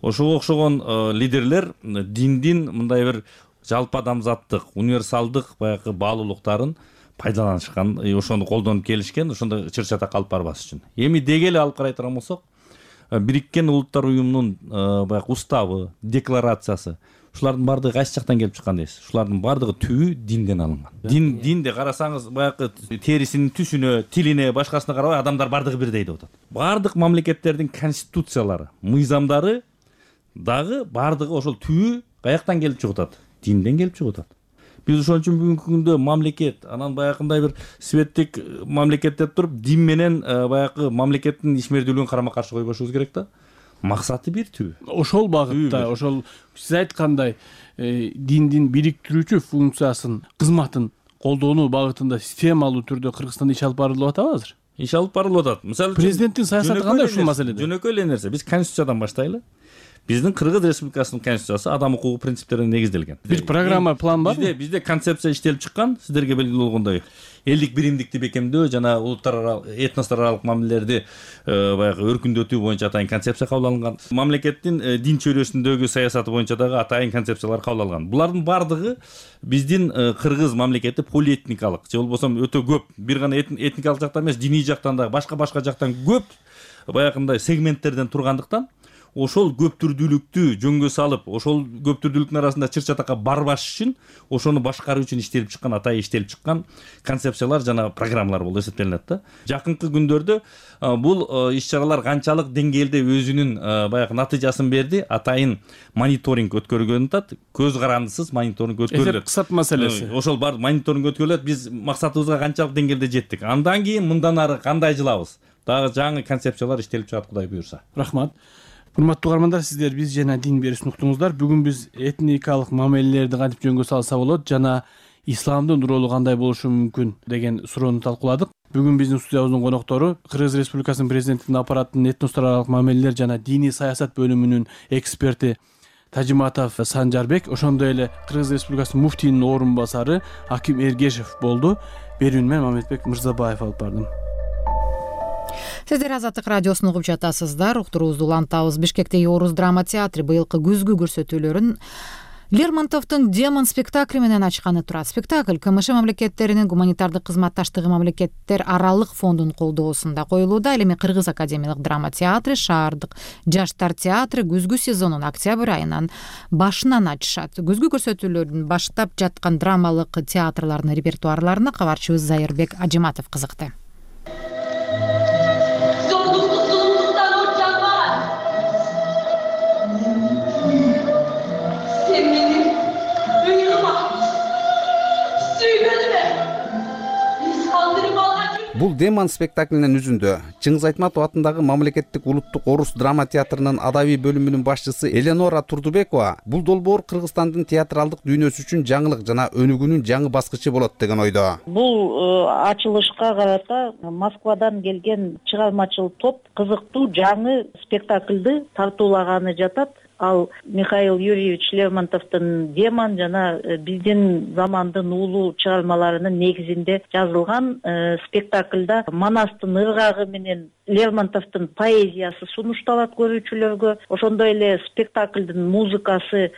Speaker 2: Ошого окшогон лидерлер диндин мындай бир жалпы адамзаттык, универсалдык баягы баалуулуктарын пайдаланышкан, ошону колдонуп келишкен, ошондо чыр-чатак алып барбас үчүн. Эми деги эле алып карай турган болсок, Бириккен Улуттар уюмунун баягы уставы, декларациясы, ушулардын баардыгы кайсы жактан келип чыккан дейсиз? Ушулардын баардыгы түбү динден алынган. Динде карасаңыз, баягы терисинин түсүнө, тилине, башкасына карабай адамдар баардыгы бирдей деп атат. Баардык мамлекеттердин конституциялары, мыйзамдары дагы баардыгы ошол түбү каяктан келип чыгып атат? Динден келип чыгып атат. Биз ошон үчүн бүгүнкү күндө мамлекет, анан баягындай бир светтик мамлекет деп туруп, дин менен баягы мамлекеттин ишмердүүлүгүн карама-каршы койбошубуз керек да. Максаты бир түбү.
Speaker 7: Ошол багытта, ошол сиз айткандай диндин бириктирүүчү функциясын, кызматын колдонуу багытында системалуу түрдө Кыргызстанда иш алып барылып атабы азыр?
Speaker 2: иш алып барылып атат. Мисалы
Speaker 7: президенттин саясаты кандай ушул маселеде?
Speaker 2: Жөнөкөй эле нерсе. Биз конституциядан баштайлы. Биздин Кыргыз Республикасынын конституциясы адам укугу принциптерине негизделген.
Speaker 7: Бир программа, план барбы?
Speaker 2: Бизде концепция иштелип чыккан, сиздерге белгилүү болгондой. Элдик биримдикти бекемдөө жана улуттар аралык, этностор аралык мамилелерди баягы өркүндөтүү боюнча атайын концепция кабыл алынган. Мамлекеттин дин чөйрөсүндөгү саясаты боюнча дагы атайын концепциялар кабыл алынган. Булардын бардыгы биздин кыргыз мамлекети полиэтникалык, же болбосо өтө көп, бир гана этникалык жактан эмес, диний жактан да, башка жактан көп баягындай сегменттерден тургандыктан ошол көптүрдүүлүктү жөнгө салып, ошол көптүрдүүлүктүн арасында чыр чатакка барбаш үчүн ошону башкаруу үчүн иштелип чыккан, атайын иштелип чыккан концепциялар жана программалар болуп эсептелинет да. Жакынкы күндөрдө бул иш-чаралар канчалык деңгээлде өзүнүн баягы натыйжасын берди, атайын мониторинг өткөрүлгөнүн атат. Көз карандысыз мониторинг өткөрүлөт.
Speaker 7: Кысат маселеси.
Speaker 2: Ошол бар мониторинг өткөрүлөт. Биз максатыбызга канчалык деңгээлде жеттик. Андан кийин мындан ары кандай жылабыз? Дагы жаңы концепциялар иштелип чыгат, Кудай буюрса.
Speaker 7: Рахмат. Урматтуу угармандар, сиздер биз жана дин берүүсүн уктуңуздар. Бүгүн биз этникалык мамилелерди кантип жөнгө салса болот жана исламдын ролу кандай болушу мүмкүн деген суроону талкууладык. Бүгүн биздин студиябыздын коноктору Кыргыз Республикасынын президентинин аппараттын этностор аралык мамилелер жана диний саясат бөлүмүнүн эксперти Тажиматов Санжарбек, ошондой эле Кыргыз Республикасынын муфтийинин орун басары Аким Эргешев болду. Берүүнү мен Мамедбек Мырзабаев алып бардым.
Speaker 1: Сиздер Азаттык радиосун угуп жатасыздар. Уктуруубузду улантабыз. Бишкектеги Орус драма театры быйылкы күзгү көрсөтүүлөрүн Лермонтовдун Демон спектакли менен ачканы турат. Спектакль КМШ мамлекеттеринин гуманитардык кызматташтыгы мамлекеттер аралык фондунун колдоосунда коюлууда. Ал эми Кыргыз академиялык драма театры, Шаардык жаштар театры күзгү сезонун октябрь айынан башынан ачышат. Күзгү көрсөтүүлөрдүн баштап жаткан драмалык театрлардын репертуарларына кабарчыбыз Зайырбек Ажиматов кызыкты.
Speaker 9: Бул Демон спектаклинин үзүндө Чыңгыз Айтматов атындагы мамлекеттик улуттук орус драма театрынын адабий бөлүмүнүн башчысы Эленора Турдубекова бул долбоор Кыргызстандын театралдык дүйнөсү үчүн жаңылык жана өнүгүүнүн жаңы баскычы болот деген ойдо.
Speaker 5: Бул ачылышка карата Москвадан келген чыгармачыл топ кызыктуу жаңы спектакльди тартуулаганы жатат. Ал Михаил Юрьевич Лермонтовдун Демон жана биздин замандын улуу чыгармаларынын негизинде жазылган спектакльда Манастын ыргагы менен Лермонтовдун поэзиясы сунушталат көрүүчүлөргө. Ошондой эле спектакльдин музыкасы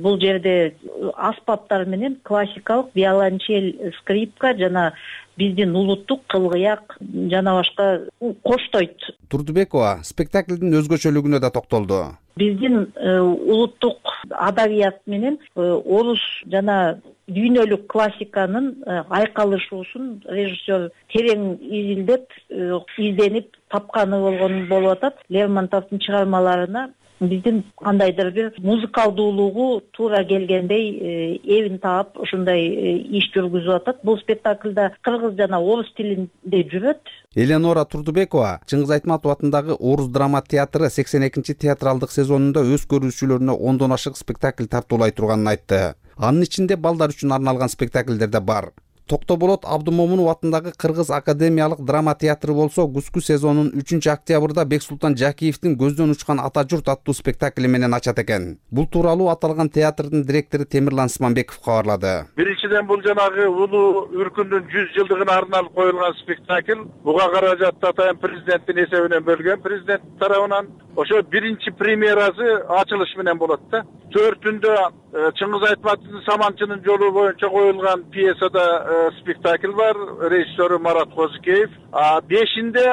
Speaker 5: бул жерде аспаптар менен классикалык виолончель, скрипка жана биздин улуттук кылгыяк жана башка коштойт.
Speaker 9: Турдубекова спектаклдин өзгөчөлүгүнө да токтолду.
Speaker 5: Биздин улуттук адабият менен орус жана дүйнөлүк классиканын айкалышуусун режиссер терең изденип тапканы болуп атат. Лермонтовдун чыгармаларына биздин кандайдыр бир музыкалдуулугу туура келгендей эбин таап ушундай иш жүргүзүп атат. Бул спектакльда кыргыз жана орус тилинде жүрөт.
Speaker 9: Эленора Турдубекова Чыңгыз Айтматов атындагы Орус драма театры 82-чи театралдык сезонунда өз көрүүчүлөрүнө 10дон ашык спектакль тартуулай турганын айтты. Анын ичинде балдар үчүн арналган спектакльдер да бар. Токтоболот Абдымомунов атындагы Кыргыз академиялык драма театры болсо күзгү сезонунун 3-октябрда Бексултан Жакиевдин Көздөн учкан ата журт аттуу спектакли менен ачат экен. Бул тууралуу аталган театрдын директору Темирлан Сманбеков кабарлады.
Speaker 10: Биринчиден бул жанагы улуу үркүндүн 100 жылдыгына арналып коюлган спектакль. Буга каражатты атайын президенттин эсебинен бөлгөн, президент тарабынан. Ошо биринчи премьерасы ачылыш менен болот да. 4-түндө Чыңгыз Айтматовдун Саманчынын жолу боюнча коюлган пьесада спектакль бар, режиссеру Марат Козыкеев. 5-inde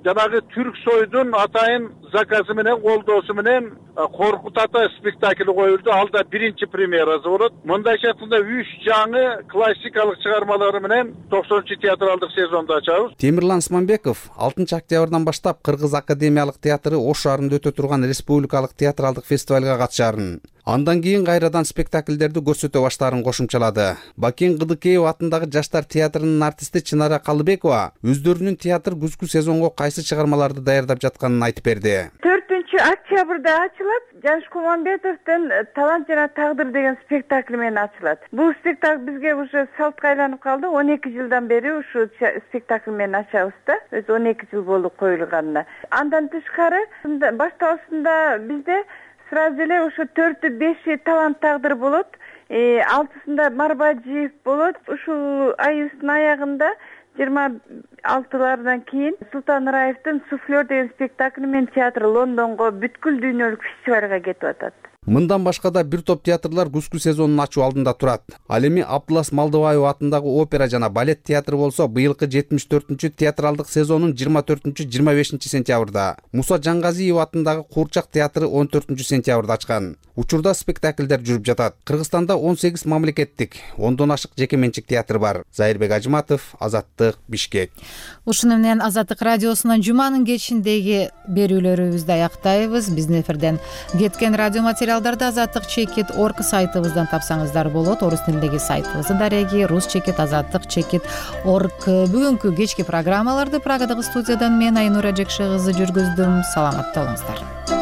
Speaker 10: жанагы Түрк сойдун атайын заказы менен колдоосу менен Коркут ата спектакли коюлду. Ал да биринчи премьерасы болот. Мындайча айтканда 3 жаңы классикалык чыгармалары менен 90-чы театралдык сезонду ачабыз.
Speaker 9: Темирлан Сманбеков 6-октябрдан баштап Кыргыз академиялык театры Ош шаарында өтө турган республикалык театралдык фестивалга катышарын, андан кийин кайрадан спектакльдерди көрсөтө баштаарын кошумчалады. Бакен Кыдыкеев атындагы жаштар театрынын артисти Чынара Калыбекова өздөрүнүн театр күзгү сезонго кайсы чыгармаларды даярдап жатканын айтып берди.
Speaker 11: 4 октябрда ачылат. Жаныш Куманбетовдун «Талант жана тагдыр» деген спектакль менен ачылат. Бул спектакль бизге уже салтка айланып калды. 12 жылдан бери ушу спектакль менен ачабыз да. Өзү 12 жыл болду коюлганына. Андан тышкары башталышында бизде сразу эле ошо 4-5 талант тагдыр болот. 6-сында Марбаджиев болот. Ушул айыбыздын аягында 26-лардан кийин Султан Раевдин «Суфлер» деген спектакль менен театр Лондонго бүткүл дүйнөлүк фестивалга кетип атат.
Speaker 9: Мындан башка да бир топ театрлар күзгү сезонун ачуу алдында турат. Ал эми Абдулас Малдыбаев атындагы опера жана балет театры болсо быйылкы 74-чү театралдык сезонун 24-25 сентябрда, Муса Жангазиев атындагы Куурчак театры 14-сентябрда ачкан. Учурда спектакльдер жүрүп жатат. Кыргызстанда 18 мамлекеттик, 10дон ашык жеке менчик театр бар. Зайырбек Ажыматов, Азаттык, Бишкек.
Speaker 1: Ушуну менен Азаттык радиосунун жуманын кечиндеги берүүлөрүбүздү аяктайбыз. Биздин эфирден кеткен радио материалдарды azattik.org сайтыбыздан тапсаңыздар болот. Орус тилиндеги сайтыбыздын дареги rusчекит.azattik.org. Бүгүнкү кечки программаларды Прагадагы студиядан мен Айнура Жекше кызы жүргүздүм. Саламатта болуңуздар.